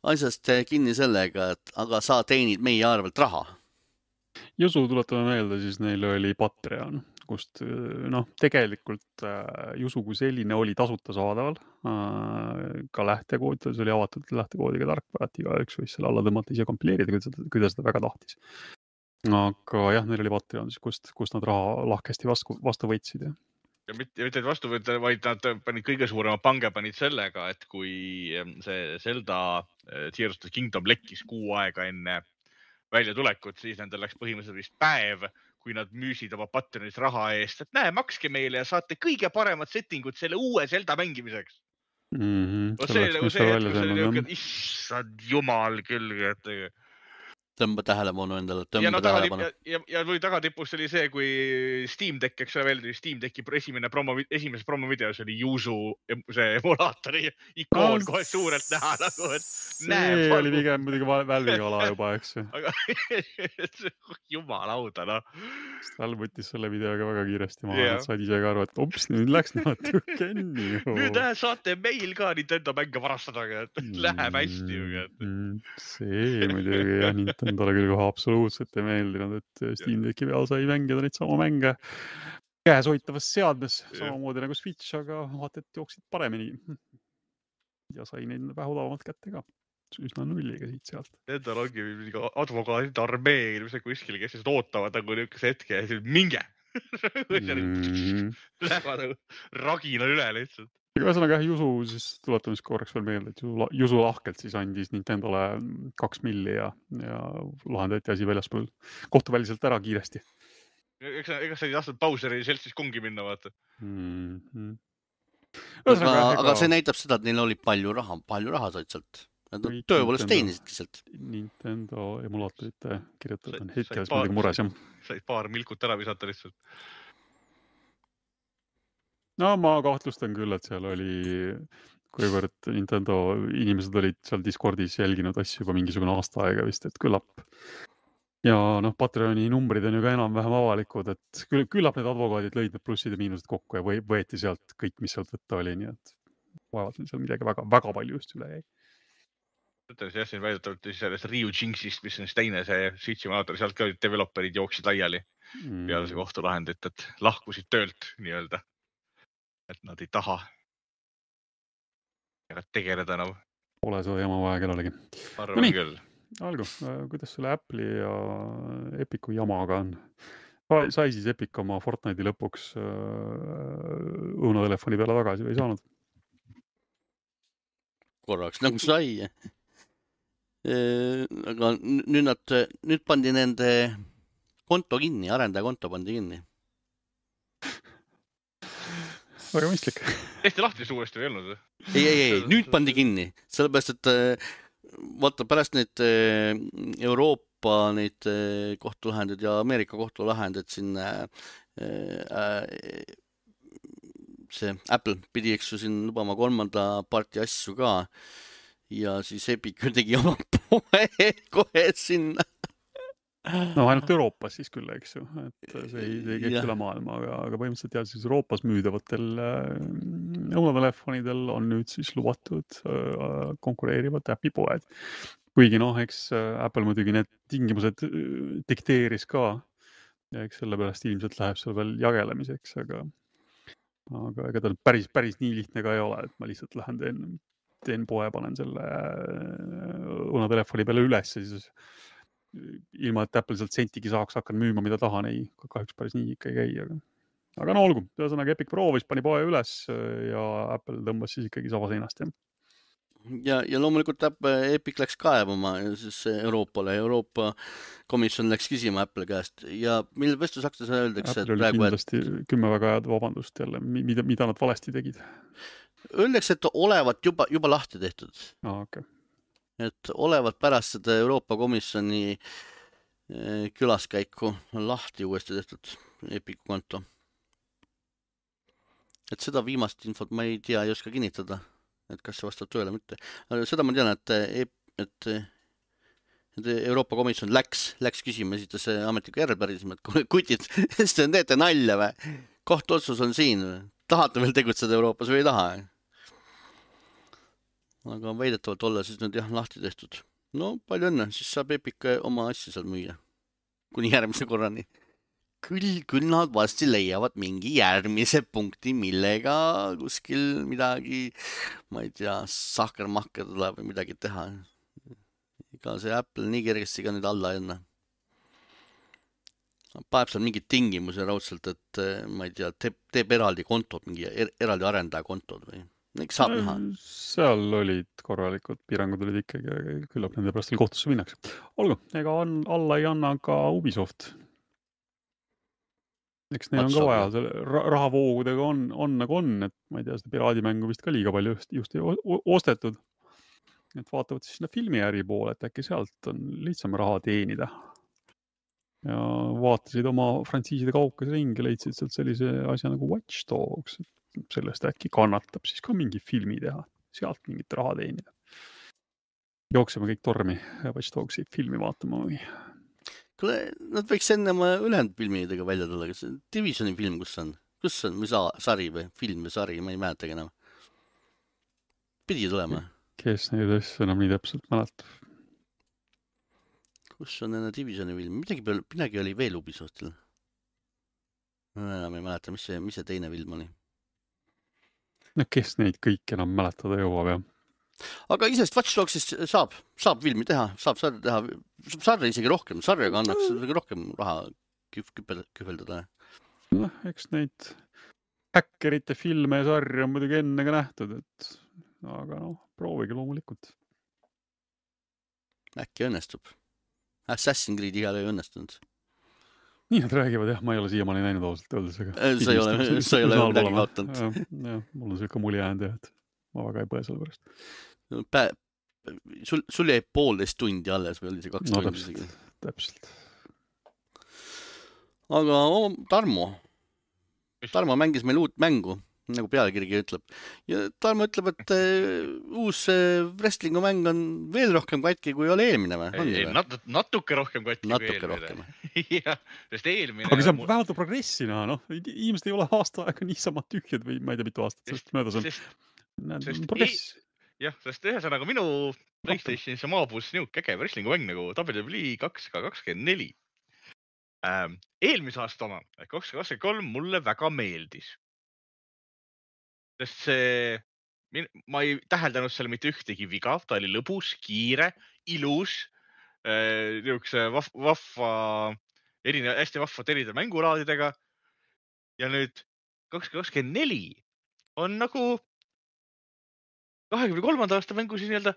asjast kinni sellega, et aga sa teenid meie arvelt raha. Jusu tuletame meelde, siis neil oli Patreon, kust tegelikult Jusu kui selline oli tasuta saadaval. Ka lähtekood, see oli avatud lähtekoodiga tarkvärati, ka üks võis selle alla tõmmata ise kompileerida, kui ta seda väga tahtis. Aga jah, neil oli Patreon, kust nad raha lahkesti vastu võtsid. Ja mitte vastu võtta, vaid nad panid kõige suurema pange panid sellega, et kui see Zelda Tears of the Kingdom lekkis 6 aega enne välja tulekut, siis nendel läks põhimõtteliselt vist päev, kui nad müüsid oma Patreonis raha eest, et näe, makske meile ja saate kõige paremad settingud selle uue Zelda mängimiseks. See oli nagu see hetk, kus oli niuke, issand jumal küll, et tõmba tähelepanu endale, ja, no, tähelepanu. Ja või tagatipus oli see, kui Steam Deck, eks ole, veel Steam Decki esimeses promovideos oli Yuzu see emulaatori ikoon kohe suurelt näha nagu, et see oli pigem muidugi Valve'ga juba, eks ju. Aga jumalauda, noh. Valve võttis selle videoga väga kiiresti maha, nad said ise ka aru, et ups, nüüd läks natuke nii. Nüüd saate meil ka Nintendo mänge varastada, et läheb hästi. See muidugi jah, Nintendole küll kohe absoluutselt ei meeldinud, et Steam Decki peal sai mängida neid sama mänge käes hoitavas seadmes, samamoodi nagu Switch, aga vaata, et jooksid paremini. Ja sai neid vähe odavamalt kätte ka. Üsna nulliga siit sealt. Nendel ongi advokaadid armee kuskil, kes ootavad nagu niisuguse hetke ja minge. Lähevad nagu ragina üle lihtsalt. Ühesõnaga Jusu, siis tuletame korraks veel meelde, et Jusu lahkelt siis andis Nintendole 2 milli ja lahendati asi väljaspool kohtuväliselt ära kiiresti. Ega sa ei tahtnud Bowseri seltsis kungi minna, vaata. Aga see näitab seda, et neil oli palju raha said sealt. Nad tööpoolest teenisidki sealt. Nintendo emulaatorite kirjutatud on hetkeles muidugi mures, jah. Said paar milkut ära visata lihtsalt. No ma kahtlustan küll, et seal oli, kuivõrd Nintendo inimesed olid seal Discordis jälginud asju juba mingisugune aasta aega vist, et küllap. Ja Patreoni numbrid on ju ka enam-vähem avalikud, et küllap need advokaadid lõid need plussid ja miinused kokku ja võeti sealt kõik, mis sealt võtta oli, nii et vaevalt seal midagi väga palju just üle jäi. Jah, siin väidetavalt sellest Ryu Jinxist, mis on teine see Switchi emulaator, sealt ka developerid jooksid laiali peale see kohtulahendit, et lahkusid töölt nii-öelda. Et nad ei taha tegeleda enam. Pole seda jama vaja kellelegi. Arvan küll. Algu, kuidas selle Apple'i ja Epicu jamaga on? Sai siis Epic oma Fortnite'i lõpuks õunatelefoni peale tagasi või ei saanud? Korraks nagu sai. Aga nüüd pandi nende konto kinni, arendaja konto pandi kinni. Väga mõistlik. Eesti lahti suuresti või olnud? Ei, nüüd pandi kinni. Sellepärast, et vaata pärast neid Euroopa neid kohtulahendid ja Ameerika kohtulahendid siin see Apple pidi siin lubama 3. parti asju ka ja siis Epic tegi oma poe kohe sinna. No ainult Euroopas siis küll, eks ju, et see ei käib üle maailma, aga põhimõtteliselt jah, siis Euroopas müüdavatel õunatelefonidel on nüüd siis lubatud konkureerivad äpipoed. Kuigi eks Apple muidugi need tingimused dikteeris ka ja eks sellepärast ilmselt läheb seal veel jagelemiseks, aga ega ta päris nii lihtne ka ei ole, et ma lihtsalt lähen teen poe, panen selle õunatelefoni peale üles ja siis ilma, et Apple sealt sentigi saaks hakkan müüma, mida tahan, ei, kahjuks päris nii ikka ei käi, aga olgu, ühesõnaga Epic proovis, pani poe üles ja Apple tõmbas siis ikkagi saba seinast, jah. Ja loomulikult Epic läks kaevama siis Euroopale, Euroopa komisjon läks küsima Apple käest ja mille vestusaktes öeldakse, et praegu kindlasti 10 väga head vabandust jälle, mida nad valesti tegid. Öeldakse, et olevat juba lahti tehtud. Okay. Et olevat pärast seda Euroopa komisjoni külaskäiku lahti uuesti tehtud Epicu konto. Et seda viimast infot ma ei tea, ei oska kinnitada, et kas see vastab tõele mitte. Aga seda ma tean, et Euroopa komisjon läks küsima, esitas ametliku järelpärisema, et kutid, te teete nalja või? Kohtuotsus on siin, tahate veel tegutseda Euroopas või ei taha? Aga väidetavalt olla siis nüüd jah lahti tehtud. No palju õnne, siis saab Epic oma asja seal müüa. Kuni järgmise korrani. Küll nad vasti leiavad mingi järgmise punkti, millega kuskil midagi, ma ei tea, sahkermahker tuleb või midagi teha. Ega see Apple nii kergesti ka nüüd alla enne. Paeb seal mingid tingimusi raudselt, et ma ei tea, teeb eraldi kontod, mingi eraldi arendaja kontod või? Saab näha. Seal olid korralikud piirangud olid ikkagi, küllap nende pärast veel kohtusse minnakse. Olgu, ega alla ei anna ka Ubisoft. Eks neil on ka vaja, selle rahavoogudega on nagu on, et ma ei tea, seda piraadimängu vist ka liiga palju just ei ostetud. Et vaatavad siis sinna filmiäri poole, et äkki sealt on lihtsam raha teenida. Ja vaatasid oma frantsiiside kaukas ringi, leidsid sealt sellise asja nagu Watch Dogs. Sellest äkki kannatab siis ka mingi filmi teha, sealt mingit raha teenida. Jookseme kõik tormi Watch Dogsi filmi vaatama või? Kuule, nad võiks enne oma ülejäänud filmidega välja tulla. Kas Divisioni film, kus on? Või sari või film või sari, ma ei mäletagi enam. Pidi tulema. Kes neid asju enam nii täpselt mäletab? Kus on enne Divisioni film? Midagi oli veel Ubisoftil. Enam ei mäleta, mis see teine film oli. No kes neid kõik enam mäletada jõuab, jah? Aga isest Watch Dogsist saab filmi teha, saab sarja teha, sarja isegi rohkem, sarjaga annaks rohkem raha kühveldada. Noh, eks neid häkkerite filme ja sarja on muidugi enne ka nähtud, aga proovige loomulikult. Äkki õnnestub. Assassin's Creed igal ei õnnestunud. Nii nad räägivad, jah, ma ei ole siiamaani näinud ausalt öeldes. Sa ei ole midagi vaatanud. Jah, mul on selline mulje jäänud, et ma väga ei põe selle pärast. Sul jäi 1,5 tundi alles või oli see 2 tundi isegi? Täpselt. Aga Tarmo mängis meil uut mängu, nagu pealkirgi ütleb. Ja Tarmo ütleb, et uus wrestlingu mäng on veel rohkem katki, kui oli eelmine või? Natuke rohkem katki kui eelmine. Jah, sest eelmine... Aga see on vähemalt progressina, inimesed ei ole aasta aega niisama tühjad või ma ei tea mitu aastat, sest möödas on. Progress. Jah, sest ühesõnaga minu PlayStationis maabus niuke äge wrestlingu mäng nagu WWE 2K24. Eelmise aasta oma, 2023 mulle väga meeldis. Sest ma ei täheldanud selle mitte ühtegi viga, ta oli lõbus, kiire, ilus, niukse hästi vahvad eride mängulaadidega. Ja nüüd 2024 on nagu 23. aasta mängu siis nii-öelda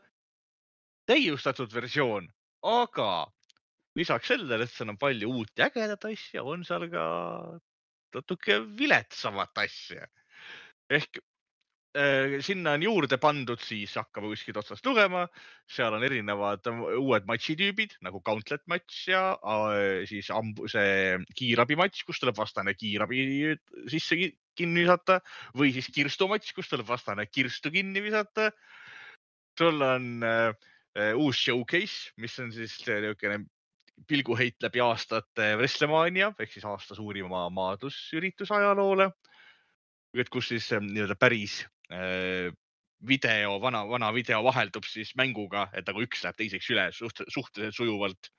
täiustatud versioon, aga lisaks sellele, et seal on palju uut ja ägedat asja, on seal ka natuke viletsamat asja. Ehk sinna on juurde pandud, siis hakkame kuskilt otsast lugema, seal on erinevad uued matšitüübid nagu Gauntlet matš ja siis see kiirabimatš, kus tuleb vastane kiirabi sisse kinni visata või siis kirstumatš, kus tuleb vastane kirstu kinni visata. Sul on uus showcase, mis on siis pilguheit läbi aastate WrestleMania ehk siis aasta suurima maadlusüritus ajaloole, kus siis päris vana video vaheldub siis mänguga, et nagu üks läheb teiseks üle suhteliselt sujuvalt.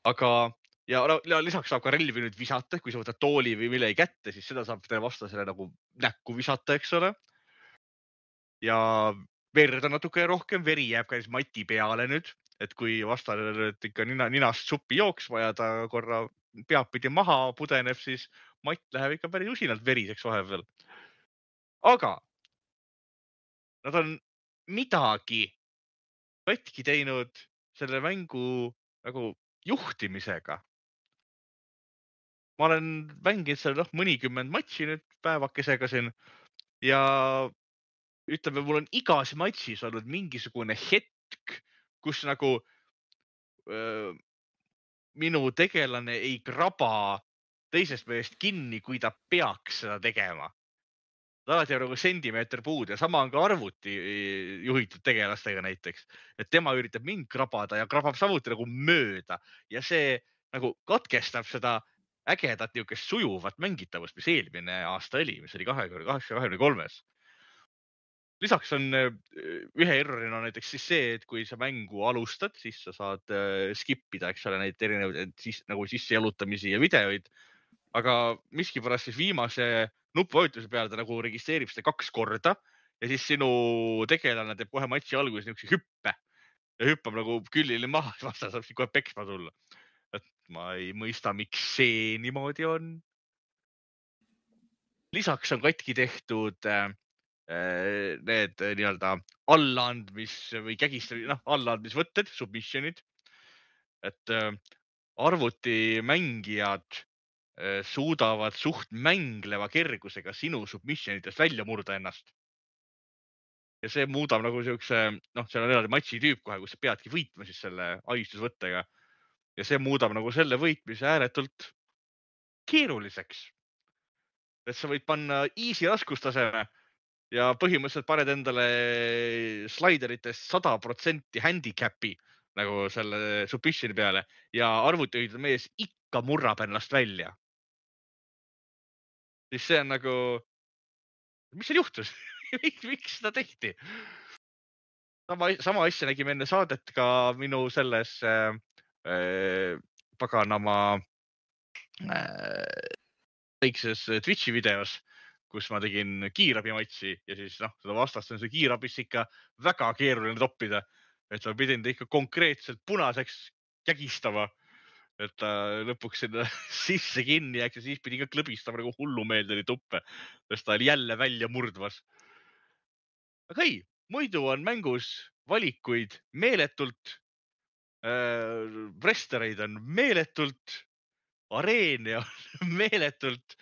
Aga ja lisaks saab ka relvi nüüd visata, kui sa võtad tooli või millegi kätte, siis seda saab vastasele nagu näkku visata, eks ole. Ja verd on natuke rohkem, veri jääb ka mati peale nüüd, et kui vastane ikka ninast suppi jooksma ja ta korra peapidi maha pudeneb, siis matt läheb ikka päris usinalt veriseks vahepeal. Aga nad on midagi katki teinud selle mängu nagu juhtimisega. Ma olen mänginud seal mõnikümmend matši nüüd päevakesega siin ja ütleme, mul on igas matšis olnud mingisugune hetk, kus nagu minu tegelane ei kraba teisest meelest kinni, kui ta peaks seda tegema. Alati on nagu sentimeeter puud ja sama on ka arvuti juhitud tegelastega näiteks, et tema üritab mind krabada ja krabab samuti nagu mööda ja see nagu katkestab seda ägedat niukest sujuvat mängitavust, mis eelmine aasta oli, mis oli 2023. Lisaks on ühe errorina näiteks siis see, et kui sa mängu alustad, siis sa saad skippida, eks ole, neid erinevaid nagu sissejalutamisi ja videoid, aga miskipärast siis viimase nupuvajutuse peale ta nagu registreerib seda 2 korda ja siis sinu tegelane teeb kohe matši alguses niisuguse hüppe ja hüppab nagu küllile maha, et vasta saab kohe peksma tulla. Et ma ei mõista, miks see niimoodi on. Lisaks on katki tehtud need nii-öelda allaandmis või allaandmisvõtted, submissionid, et arvutimängijad suudavad suht mängleva kergusega sinu submissionitest välja murda ennast. Ja see muudab nagu siukse, seal on eraldi matši tüüp kohe, kus sa peadki võitma siis selle ahistusvõttega. Ja see muudab nagu selle võitmise ääretult keeruliseks. Et sa võid panna easy raskustaseme ja põhimõtteliselt paned endale slaideritest 100% handicapi nagu selle submissioni peale ja arvutihoidla mees ikka murrab ennast välja. Siis see on nagu, mis seal juhtus? Miks seda tehti? Sama asja nägime enne saadet ka minu selles paganama väikses Twitchi videos, kus ma tegin kiirabimatsi ja siis seda vastast on see kiirabis ikka väga keeruline toppida. Et ma pidin ta ikka konkreetselt punaseks kägistama, et ta lõpuks sinna sisse kinni jääks ja siis pidi ka klõbistama nagu hullumeelde tuppe, sest ta oli jälle välja murdvas. Aga ei, muidu on mängus valikuid meeletult, wrestlereid on meeletult, areene on meeletult,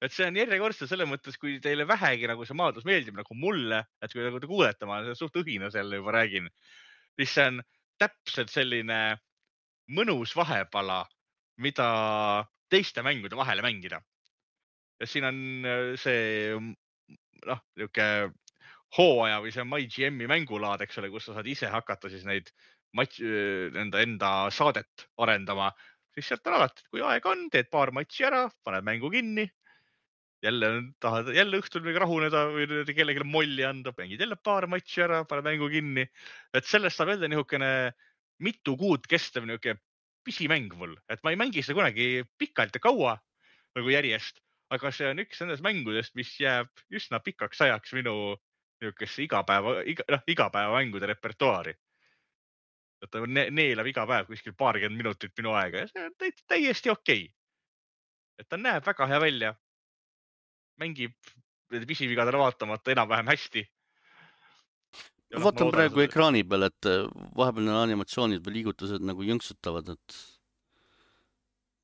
et see on järjekordselt selle mõttes, kui teile vähegi nagu see maadlus meeldib nagu mulle, et kui nagu te kuulete, ma suht õhina selle juba räägin, siis see on täpselt selline mõnus vahepala, mida teiste mängude vahele mängida. Ja siin on see niuke hooaja või see MyGM-i mängulaad, eks ole, kus sa saad ise hakata siis neid enda saadet arendama. Siis sealt on alati, et kui aeg on, teed paar matši ära, paned mängu kinni. Jälle tahad jälle õhtul või rahuneda või kellelegi molli anda, mängid jälle paar matši ära, paned mängu kinni. Et sellest saab jälle nihukene mitu kuud kestev nihuke pisimäng mul. Et ma ei mängi seda kunagi pikalt ja kaua nagu järjest, aga see on üks nendest mängudest, mis jääb üsna pikaks ajaks minu nihukesse igapäeva mängude repertuaari. Et ta neelab iga päev kuskil 20 minutit minu aega ja see on täiesti okei. Et ta näeb väga hea välja. Mängib pisivigadele vaatamata enam-vähem hästi. Ma vaatan praegu ekraani peal, et vahepeal on animatsioonid või liigutused nagu jõnksutavad, et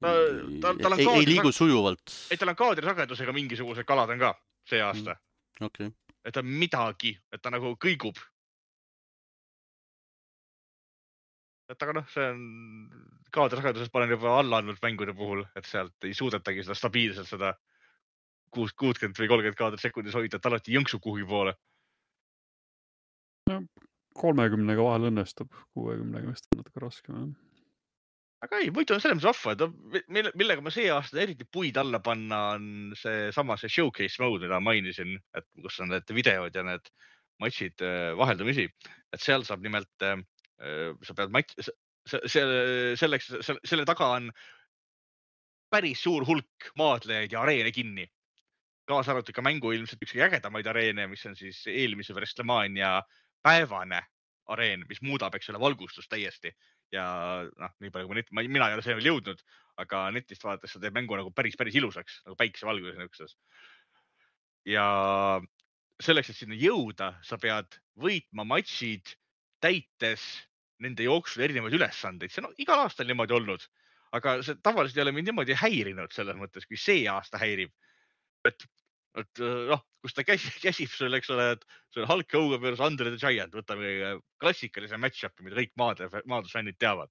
ei liigu sujuvalt. Ei, tal on kaadrisagedusega mingisugused kalad on ka see aasta. Okay. Et ta midagi, et ta nagu kõigub. Et aga see on kaadrisagedusest panen juba alla andnud mängude puhul, et sealt ei suudetagi seda stabiilselt seda 60 või 30 kaadrisekundis hoida, et alati jõnksub kuhugi poole. 30-ga vahel õnnestub, 60-ga vist on natuke raskem. Aga ei, muidu on selles mõttes vahva, millega ma see aasta eriti puid alla panna on see showcase mode, mida mainisin, et kus on need videod ja need matšid vaheldumisi. Et seal saab nimelt, sa pead selle taga on päris suur hulk maadlejaid ja areene kinni. Kaasa arvatud ka mängu ilmselt üks ägedamaid areene, mis on siis eelmise WrestleMania päevane areen, mis muudab, eks ole, valgustust täiesti. Ja nii palju kui mina ei ole see veel jõudnud, aga netist vaadates sa teeb mängu nagu päris ilusaks, nagu päikesevalguses niisuguses. Ja selleks, et sinna jõuda, sa pead võitma matšid täites nende jooksul erinevaid ülesandeid. See on igal aastal niimoodi olnud, aga see tavaliselt ei ole mind niimoodi häirinud selles mõttes, kui see aasta häirib. Et kus ta käsib sul, eks ole, et see on Hulk Hogan versus Andre the Giant, võtame klassikalise match-up'i, mida kõik maadlusfännid teavad.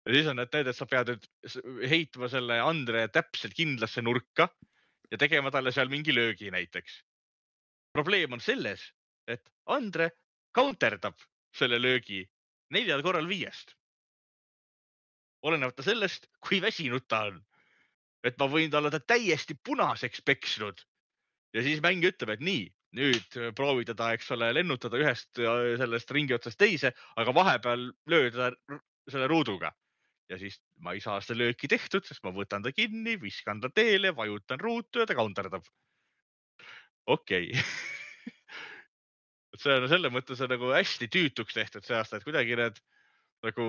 Ja siis on need, et sa pead heitma selle Andre täpselt kindlasse nurka ja tegema talle seal mingi löögi näiteks. Probleem on selles, et Andre counterdab selle löögi 4 korral 5. Olenevata sellest, kui väsinud ta on. Et ma võin talle täiesti punaseks peksnud. Ja siis mäng ütleb, et nii, nüüd proovi teda, eks ole, lennutada ühest sellest ringi otsast teise, aga vahepeal lööda selle ruuduga. Ja siis ma ei saa seda lööki tehtud, sest ma võtan ta kinni, viskan ta teele, vajutan ruutu ja ta counterdab. Okei. See on selle mõttes nagu hästi tüütuks tehtud see aasta, et kuidagi need nagu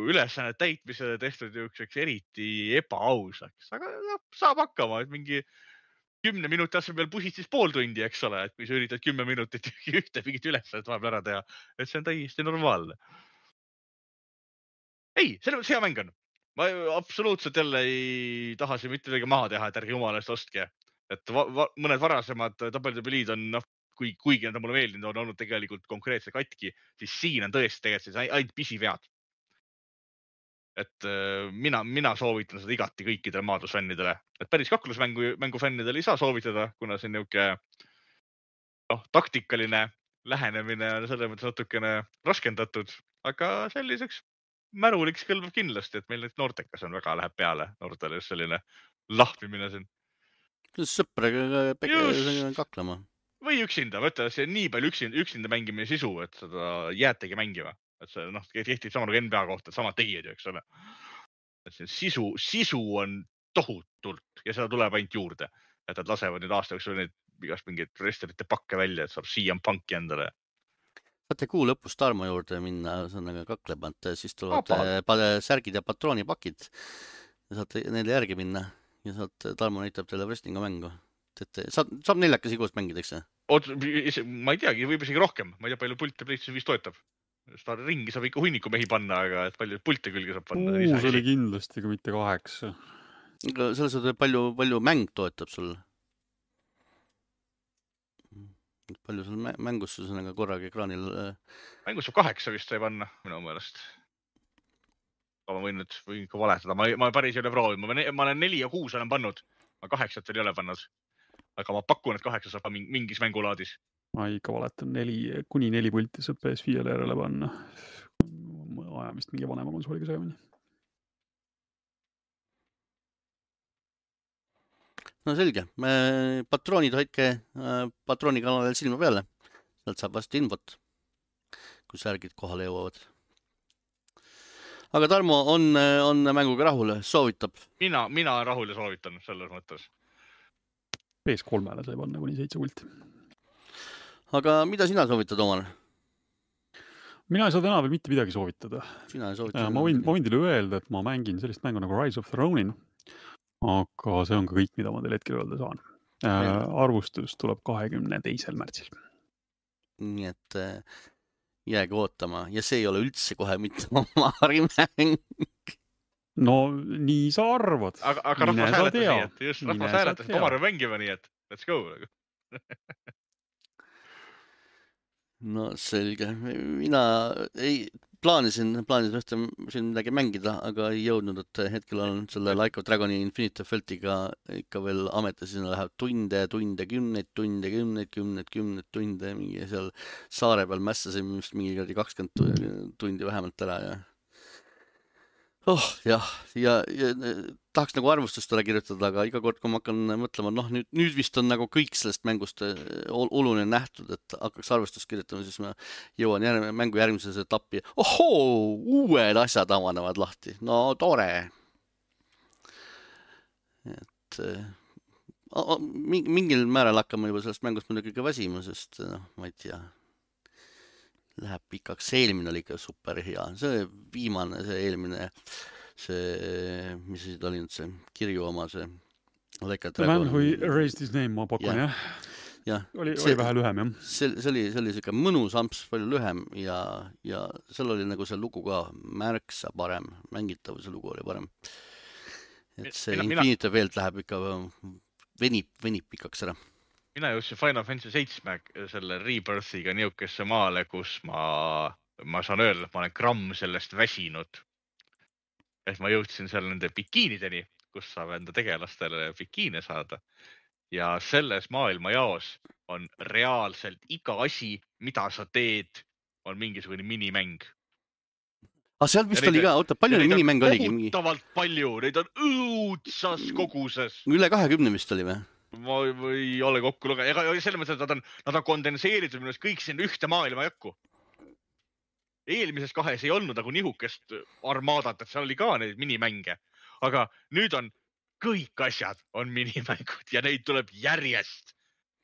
ülesannet täitmisele tehtud üks eriti ebaausaks, aga saab hakkama, et mingi 10 minuti asemel pusid siis pool tundi, eks ole, et kui sa üritad 10 minutit ühte mingit ülesannet vahepeal ära teha, et see on täiesti normaalne. Ei, selle mõttes hea mäng on. ma absoluutselt jälle ei taha siin mitte midagi maha teha, et ärge jumala eest ostke. Et mõned varasemad WWE-d on, kuigi nad on mulle meeldinud, on olnud tegelikult konkreetse katki, siis siin on tõesti tegelikult ainult pisivead. Et mina soovitan seda igati kõikidele maadlusfännidele. Et päris kaklusmängu fännidele ei saa soovitada, kuna see on niisugune taktikaline lähenemine on selles mõttes natukene raskendatud, aga selliseks märuliks kõlbab kindlasti, et meil nüüd noortekas on väga läheb peale noortele just selline lahmimine siin. Sõpraga kaklema. Või üksinda, ma ütlen, see on nii palju üksinda mängimine sisu, et seda jäätegi mängima. Et see kehtib sama nagu NBA kohta, et samad tegijad ju, eks ole. Et see sisu on tohutult ja seda tuleb ainult juurde. Et nad lasevad nüüd aasta jooksul neid igast mingeid wrestlerite pakke välja, et saab CM Punki endale. Saate kuu lõpus Tarmo juurde minna, see on kaklemant, siis tulevad särgid ja patroonipakid. Saate neile järgi minna ja Tarmo näitab teile wrestlinga mängu. Saab 4 koos mängida, eks? Ma ei teagi, võib isegi rohkem. Ma ei tea, palju pulte PlayStation 5 toetab. Seda ringi saab ikka hunniku mehi panna, aga et palju pulte külge saab panna. See oli kindlasti, kui mitte 8. Selles on palju mäng toetab sul. Palju sul mängus on korraga ekraanil? Mängus saab 8 vist sai panna, minu meelest. Ma võin ikka valetada. Ma päris ei ole proovinud. Ma olen 4 ja 6 olen pannud. Ma 8 veel ei ole pannud. Aga ma pakun, et 8 saab mingis mängulaadis. Ma ikka valetan kuni 4 pulti saab PS5-le järele panna. Ajamist mingi vanema konsooliga segamini. No selge. Patroonid hoidke patroonikanalil silma peale. Sealt saab vast infot, kui särgid kohale jõuavad. Aga Tarmo on mänguga rahul, soovitab? Mina rahul ja soovitan selles mõttes. PS3-le sai panna kuni 7 pulti. Aga mida sina soovitad omale? Mina ei saa täna veel mitte midagi soovitada. Sina ei soovita? Ma võin teile öelda, et ma mängin sellist mängu nagu Rise of the Ronin. Aga see on ka kõik, mida ma teile hetkel öelda saan. Arvustus tuleb 22. märtsil. Nii et jääge ootama. Ja see ei ole üldse kohe mitte Omari mäng. No nii sa arvad. Aga rahvas hääletas nii, et just rahvas hääletas, et Omar mängima nii, et let's go. No selge. Mina plaanisin ühte siin midagi mängida, aga ei jõudnud, et hetkel on selle Like of Dragoni Infinite Feltiga ikka veel ametis, sinna läheb tunde, kümneid tunde, mingi seal saare peal mässasin mingi 20 tundi vähemalt ära ja tahaks nagu arvustust ole kirjutada, aga iga kord, kui ma hakkan mõtlema, nüüd vist on nagu kõik sellest mängust oluline nähtud, et hakkaks arvustust kirjutama, siis ma jõuan mängu järgmises etappi. Uued asjad avanevad lahti. No tore. Et mingil määral hakkame juba sellest mängust muidugi ka väsima, sest ma ei tea, läheb pikaks. See eelmine oli ikka super hea. See viimane, see eelmine, mis siis oli nüüd see kirju oma, see Like a Dragon. The Man Who Raised His Name, ma pakun, jah? Oli vähe lühem, jah? See oli siuke mõnus amps, palju lühem ja seal oli nagu see lugu ka märksa parem. Mängitavuse lugu oli parem. Et see Infinite Velt läheb ikka, venib pikaks ära. Mina jõudsin Final Fantasy 7 selle Rebirthiga niukesse maale, kus ma saan öelda, et ma olen gramm sellest väsinud. Et ma jõudsin seal nende bikiinideni, kus saab enda tegelastele bikiine saada. Ja selles maailmajaos on reaalselt iga asi, mida sa teed, on mingisugune minimäng. Seal vist oli ka, palju minimäng oligi? Kohutavalt palju, neid on õudsas koguses. Üle 20 vist oli või? Ma ei ole kokku lugenud. Ega selles mõttes, et nad on kondenseeritud minust kõik siin ühte maailma jakku. Eelmises 2 ei olnud nagu nihukest armaadat, et seal oli ka neid minimänge. Aga nüüd on kõik asjad on minimängud ja neid tuleb järjest.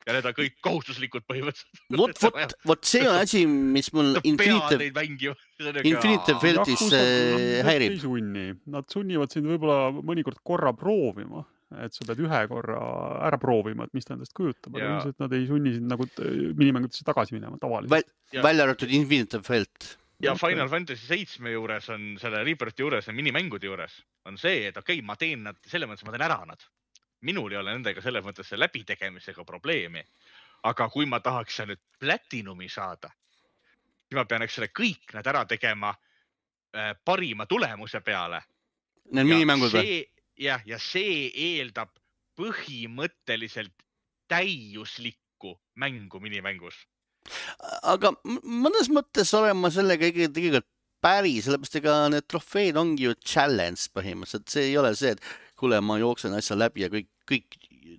Ja need on kõik kohustuslikud põhimõtteliselt. Vot see on asi, mis mul Infinite Feltis häirib. Nad sunnivad sind võib-olla mõnikord korra proovima. Et sa pead ühe korra ära proovima, et mis ta endast kujutab. Aga ilmselt nad ei sunni sind nagu minimängudesse tagasi minema tavaliselt. Välja arvatud Infinite Felt. ja Final Fantasy 7 juures on selle Rebirthi juures ja minimängude juures on see, et okei, ma teen nad, selles mõttes ma teen ära nad. Minul ei ole nendega selles mõttes läbitegemisega probleemi. Aga kui ma tahaks nüüd platinumi saada, siis ma pean selle kõik nad ära tegema parima tulemuse peale. Need minimängud või? Ja see eeldab põhimõtteliselt täiuslikku mängu minimängus. Aga mõnes mõttes olen ma sellega tegelikult päri, sellepärast ega need trofeed ongi ju challenge põhimõtteliselt. See ei ole see, et kuule, ma jooksen asja läbi ja kõik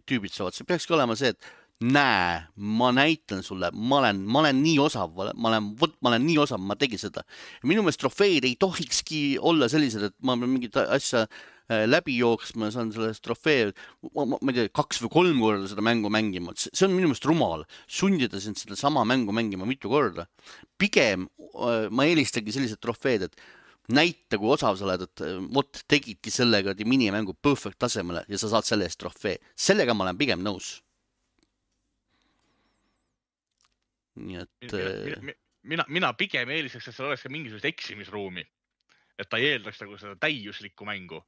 tüübid saavad. See peakski olema see, et näe, ma näitan sulle, ma olen nii osav, ma olen nii osav, ma tegin seda. Minu meelest trofeed ei tohikski olla sellised, et ma pean mingit asja läbi jooksma ja saan sellest trofee, ma ei tea, 2 või 3 korda seda mängu mängima. See on minu meelest rumal. Sundida sind seda sama mängu mängima mitu korda. Pigem ma eelistagi sellised trofeed, et näita, kui osav sa oled, et vot tegidki sellega minimängu perfect tasemele ja sa saad selle eest trofee. Sellega ma olen pigem nõus. Nii et... Mina pigem eelistaks, et seal oleks ka mingisugust eksimisruumi. Et ta ei eeldaks nagu seda täiuslikku mängu.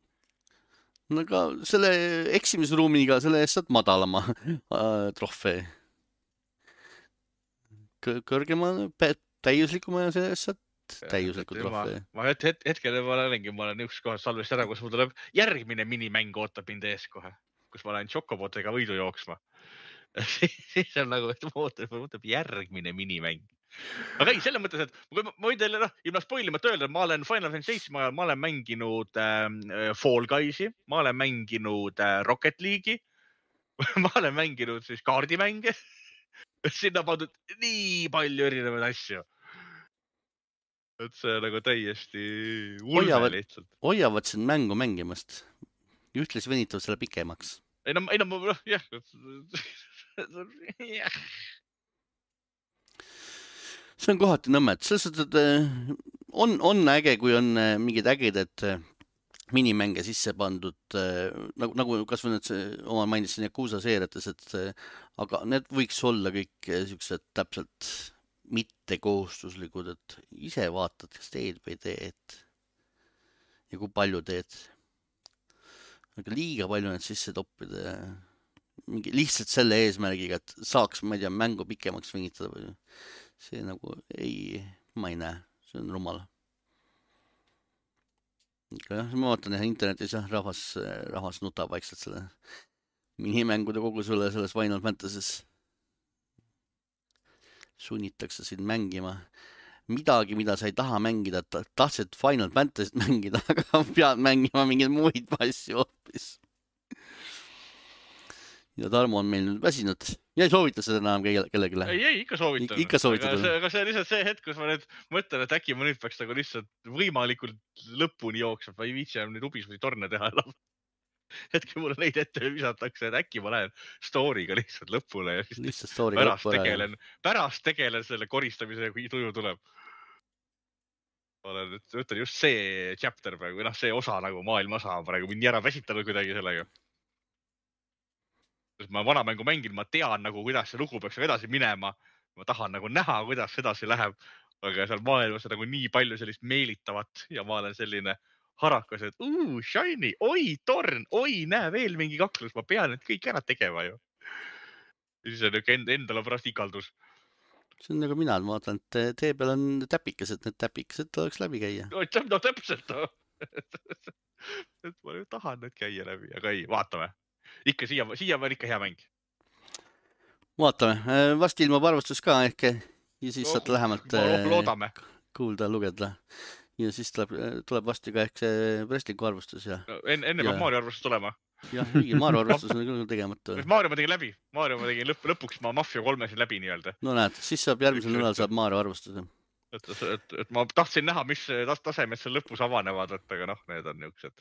No aga selle eksimisruumiga selle eest saad madalama trofee. Kõrgema, täiuslikuma ja selle eest saad täiusliku trofee. Ma hetkel ma olen üks kohas salvest ära, kus mul tuleb järgmine minimäng ootab mind ees kohe, kus ma lähen Chocobotega võidu jooksma. Siis on nagu, et ma ootab järgmine minimäng. Aga ei, selles mõttes, et ma võin teile ilma spoilimata öelda, et ma olen Final Fantasy 7 ajal, ma olen mänginud Fall Guysi, ma olen mänginud Rocket League'i, ma olen mänginud siis kaardimänge. Sinna pandud nii palju erinevaid asju. Et see nagu täiesti ulme lihtsalt. Hoiavad sind mängu mängimast. Ühtles venitavad selle pikemaks. Ei no, jah. See on kohati nõmmed. On äge, kui on mingid ägedad minimänge sisse pandud, nagu kas või need oma mainisin Yakuza seeriates, aga need võiks olla kõik sellised täpselt mittekohustuslikud, et ise vaatad, kas teed või teed ja kui palju teed. Aga liiga palju need sisse toppida lihtsalt selle eesmärgiga, et saaks, ma ei tea, mängu pikemaks venitada või see nagu ma ei näe, see on rumal. Ma vaatan internetis, rahvas nutab vaikselt selle minimängude kogu selles Final Fantasy's. Sunnitakse sind mängima midagi, mida sa ei taha mängida, tahtsid Final Fantasy't mängida, aga pead mängima mingeid muid asju hoopis. Ja Tarmo on meil nüüd väsinud. Ja ei soovita seda enam kellelegi. Ei, ikka soovitan. Ikka soovitan. Aga see on lihtsalt see hetk, kus ma nüüd mõtlen, et äkki ma nüüd peaks nagu lihtsalt võimalikult lõpuni jooksma. Ma ei viitsi nüüd ubis või torne teha enam. Hetki mulle neid ette visatakse, et äkki ma lähen story'ga lihtsalt lõpule. Ja lihtsalt story'ga lõpule. Pärast tegelen selle koristamisega, kui tuju tuleb. Ma ütlen just see chapter praegu, see osa nagu maailma osa praegu mind nii ära väsitanud kuidagi sellega. Ma vana mängu mängin, ma tean nagu, kuidas see lugu peaks edasi minema. Ma tahan nagu näha, kuidas edasi läheb. Aga seal maailmas on nagu nii palju sellist meelitavat ja ma olen selline harakas, et shiny, oi, torn, oi, näe veel mingi kaklus. Ma pean need kõik ära tegema ju. Ja siis on endale pärast ikaldus. See on nagu mina, ma vaatan, et tee peal on täpikesed, need täpikesed oleks läbi käia. No täpselt. Et ma tahan need käia läbi, aga ei, vaatame. Ikka siia on ikka hea mäng. Vaatame. Vasti ilmab arvustus ka ehk ja siis saad lähemalt kuulda, lugeda. Ja siis tuleb vasti ka ehk see Wrestlingu arvustus. Enne peab Mario arvustus tulema. Jah, Mario arvustus on küll tegemata. Mario ma tegin läbi. Mario ma tegin lõpuks ma Mafia 3 siin läbi nii-öelda. No näed, siis saab järgmisel nädal saab Mario arvustuse. Et ma tahtsin näha, mis tasemed seal lõpus avanevad, aga need on niisugused.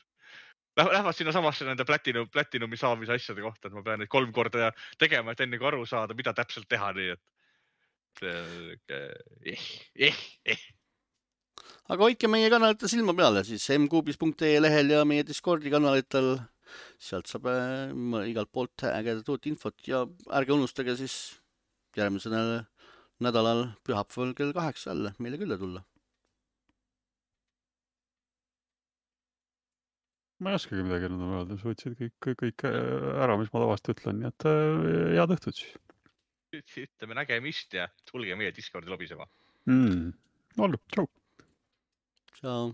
Lähevad sinna samasse nende platinumi saamise asjade kohta, et ma pean neid 3 korda tegema, et enne kui aru saada, mida täpselt teha, nii et Aga hoidke meie kanalitel silma peale, siis mkuubis.ee lehel ja meie Discordi kanalitel, sealt saab igalt poolt ägedat uut infot ja ärge unustage siis järgmisel nädalal pühapäeval kell 8 jälle meile külla tulla. ma ei oskagi midagi enam öelda, sa võtsid kõik ära, mis ma tavaliselt ütlen, nii et head õhtut siis. Ütleme nägemist ja tulge meie Discordi lobisema. Olgu, tšau. Ciao.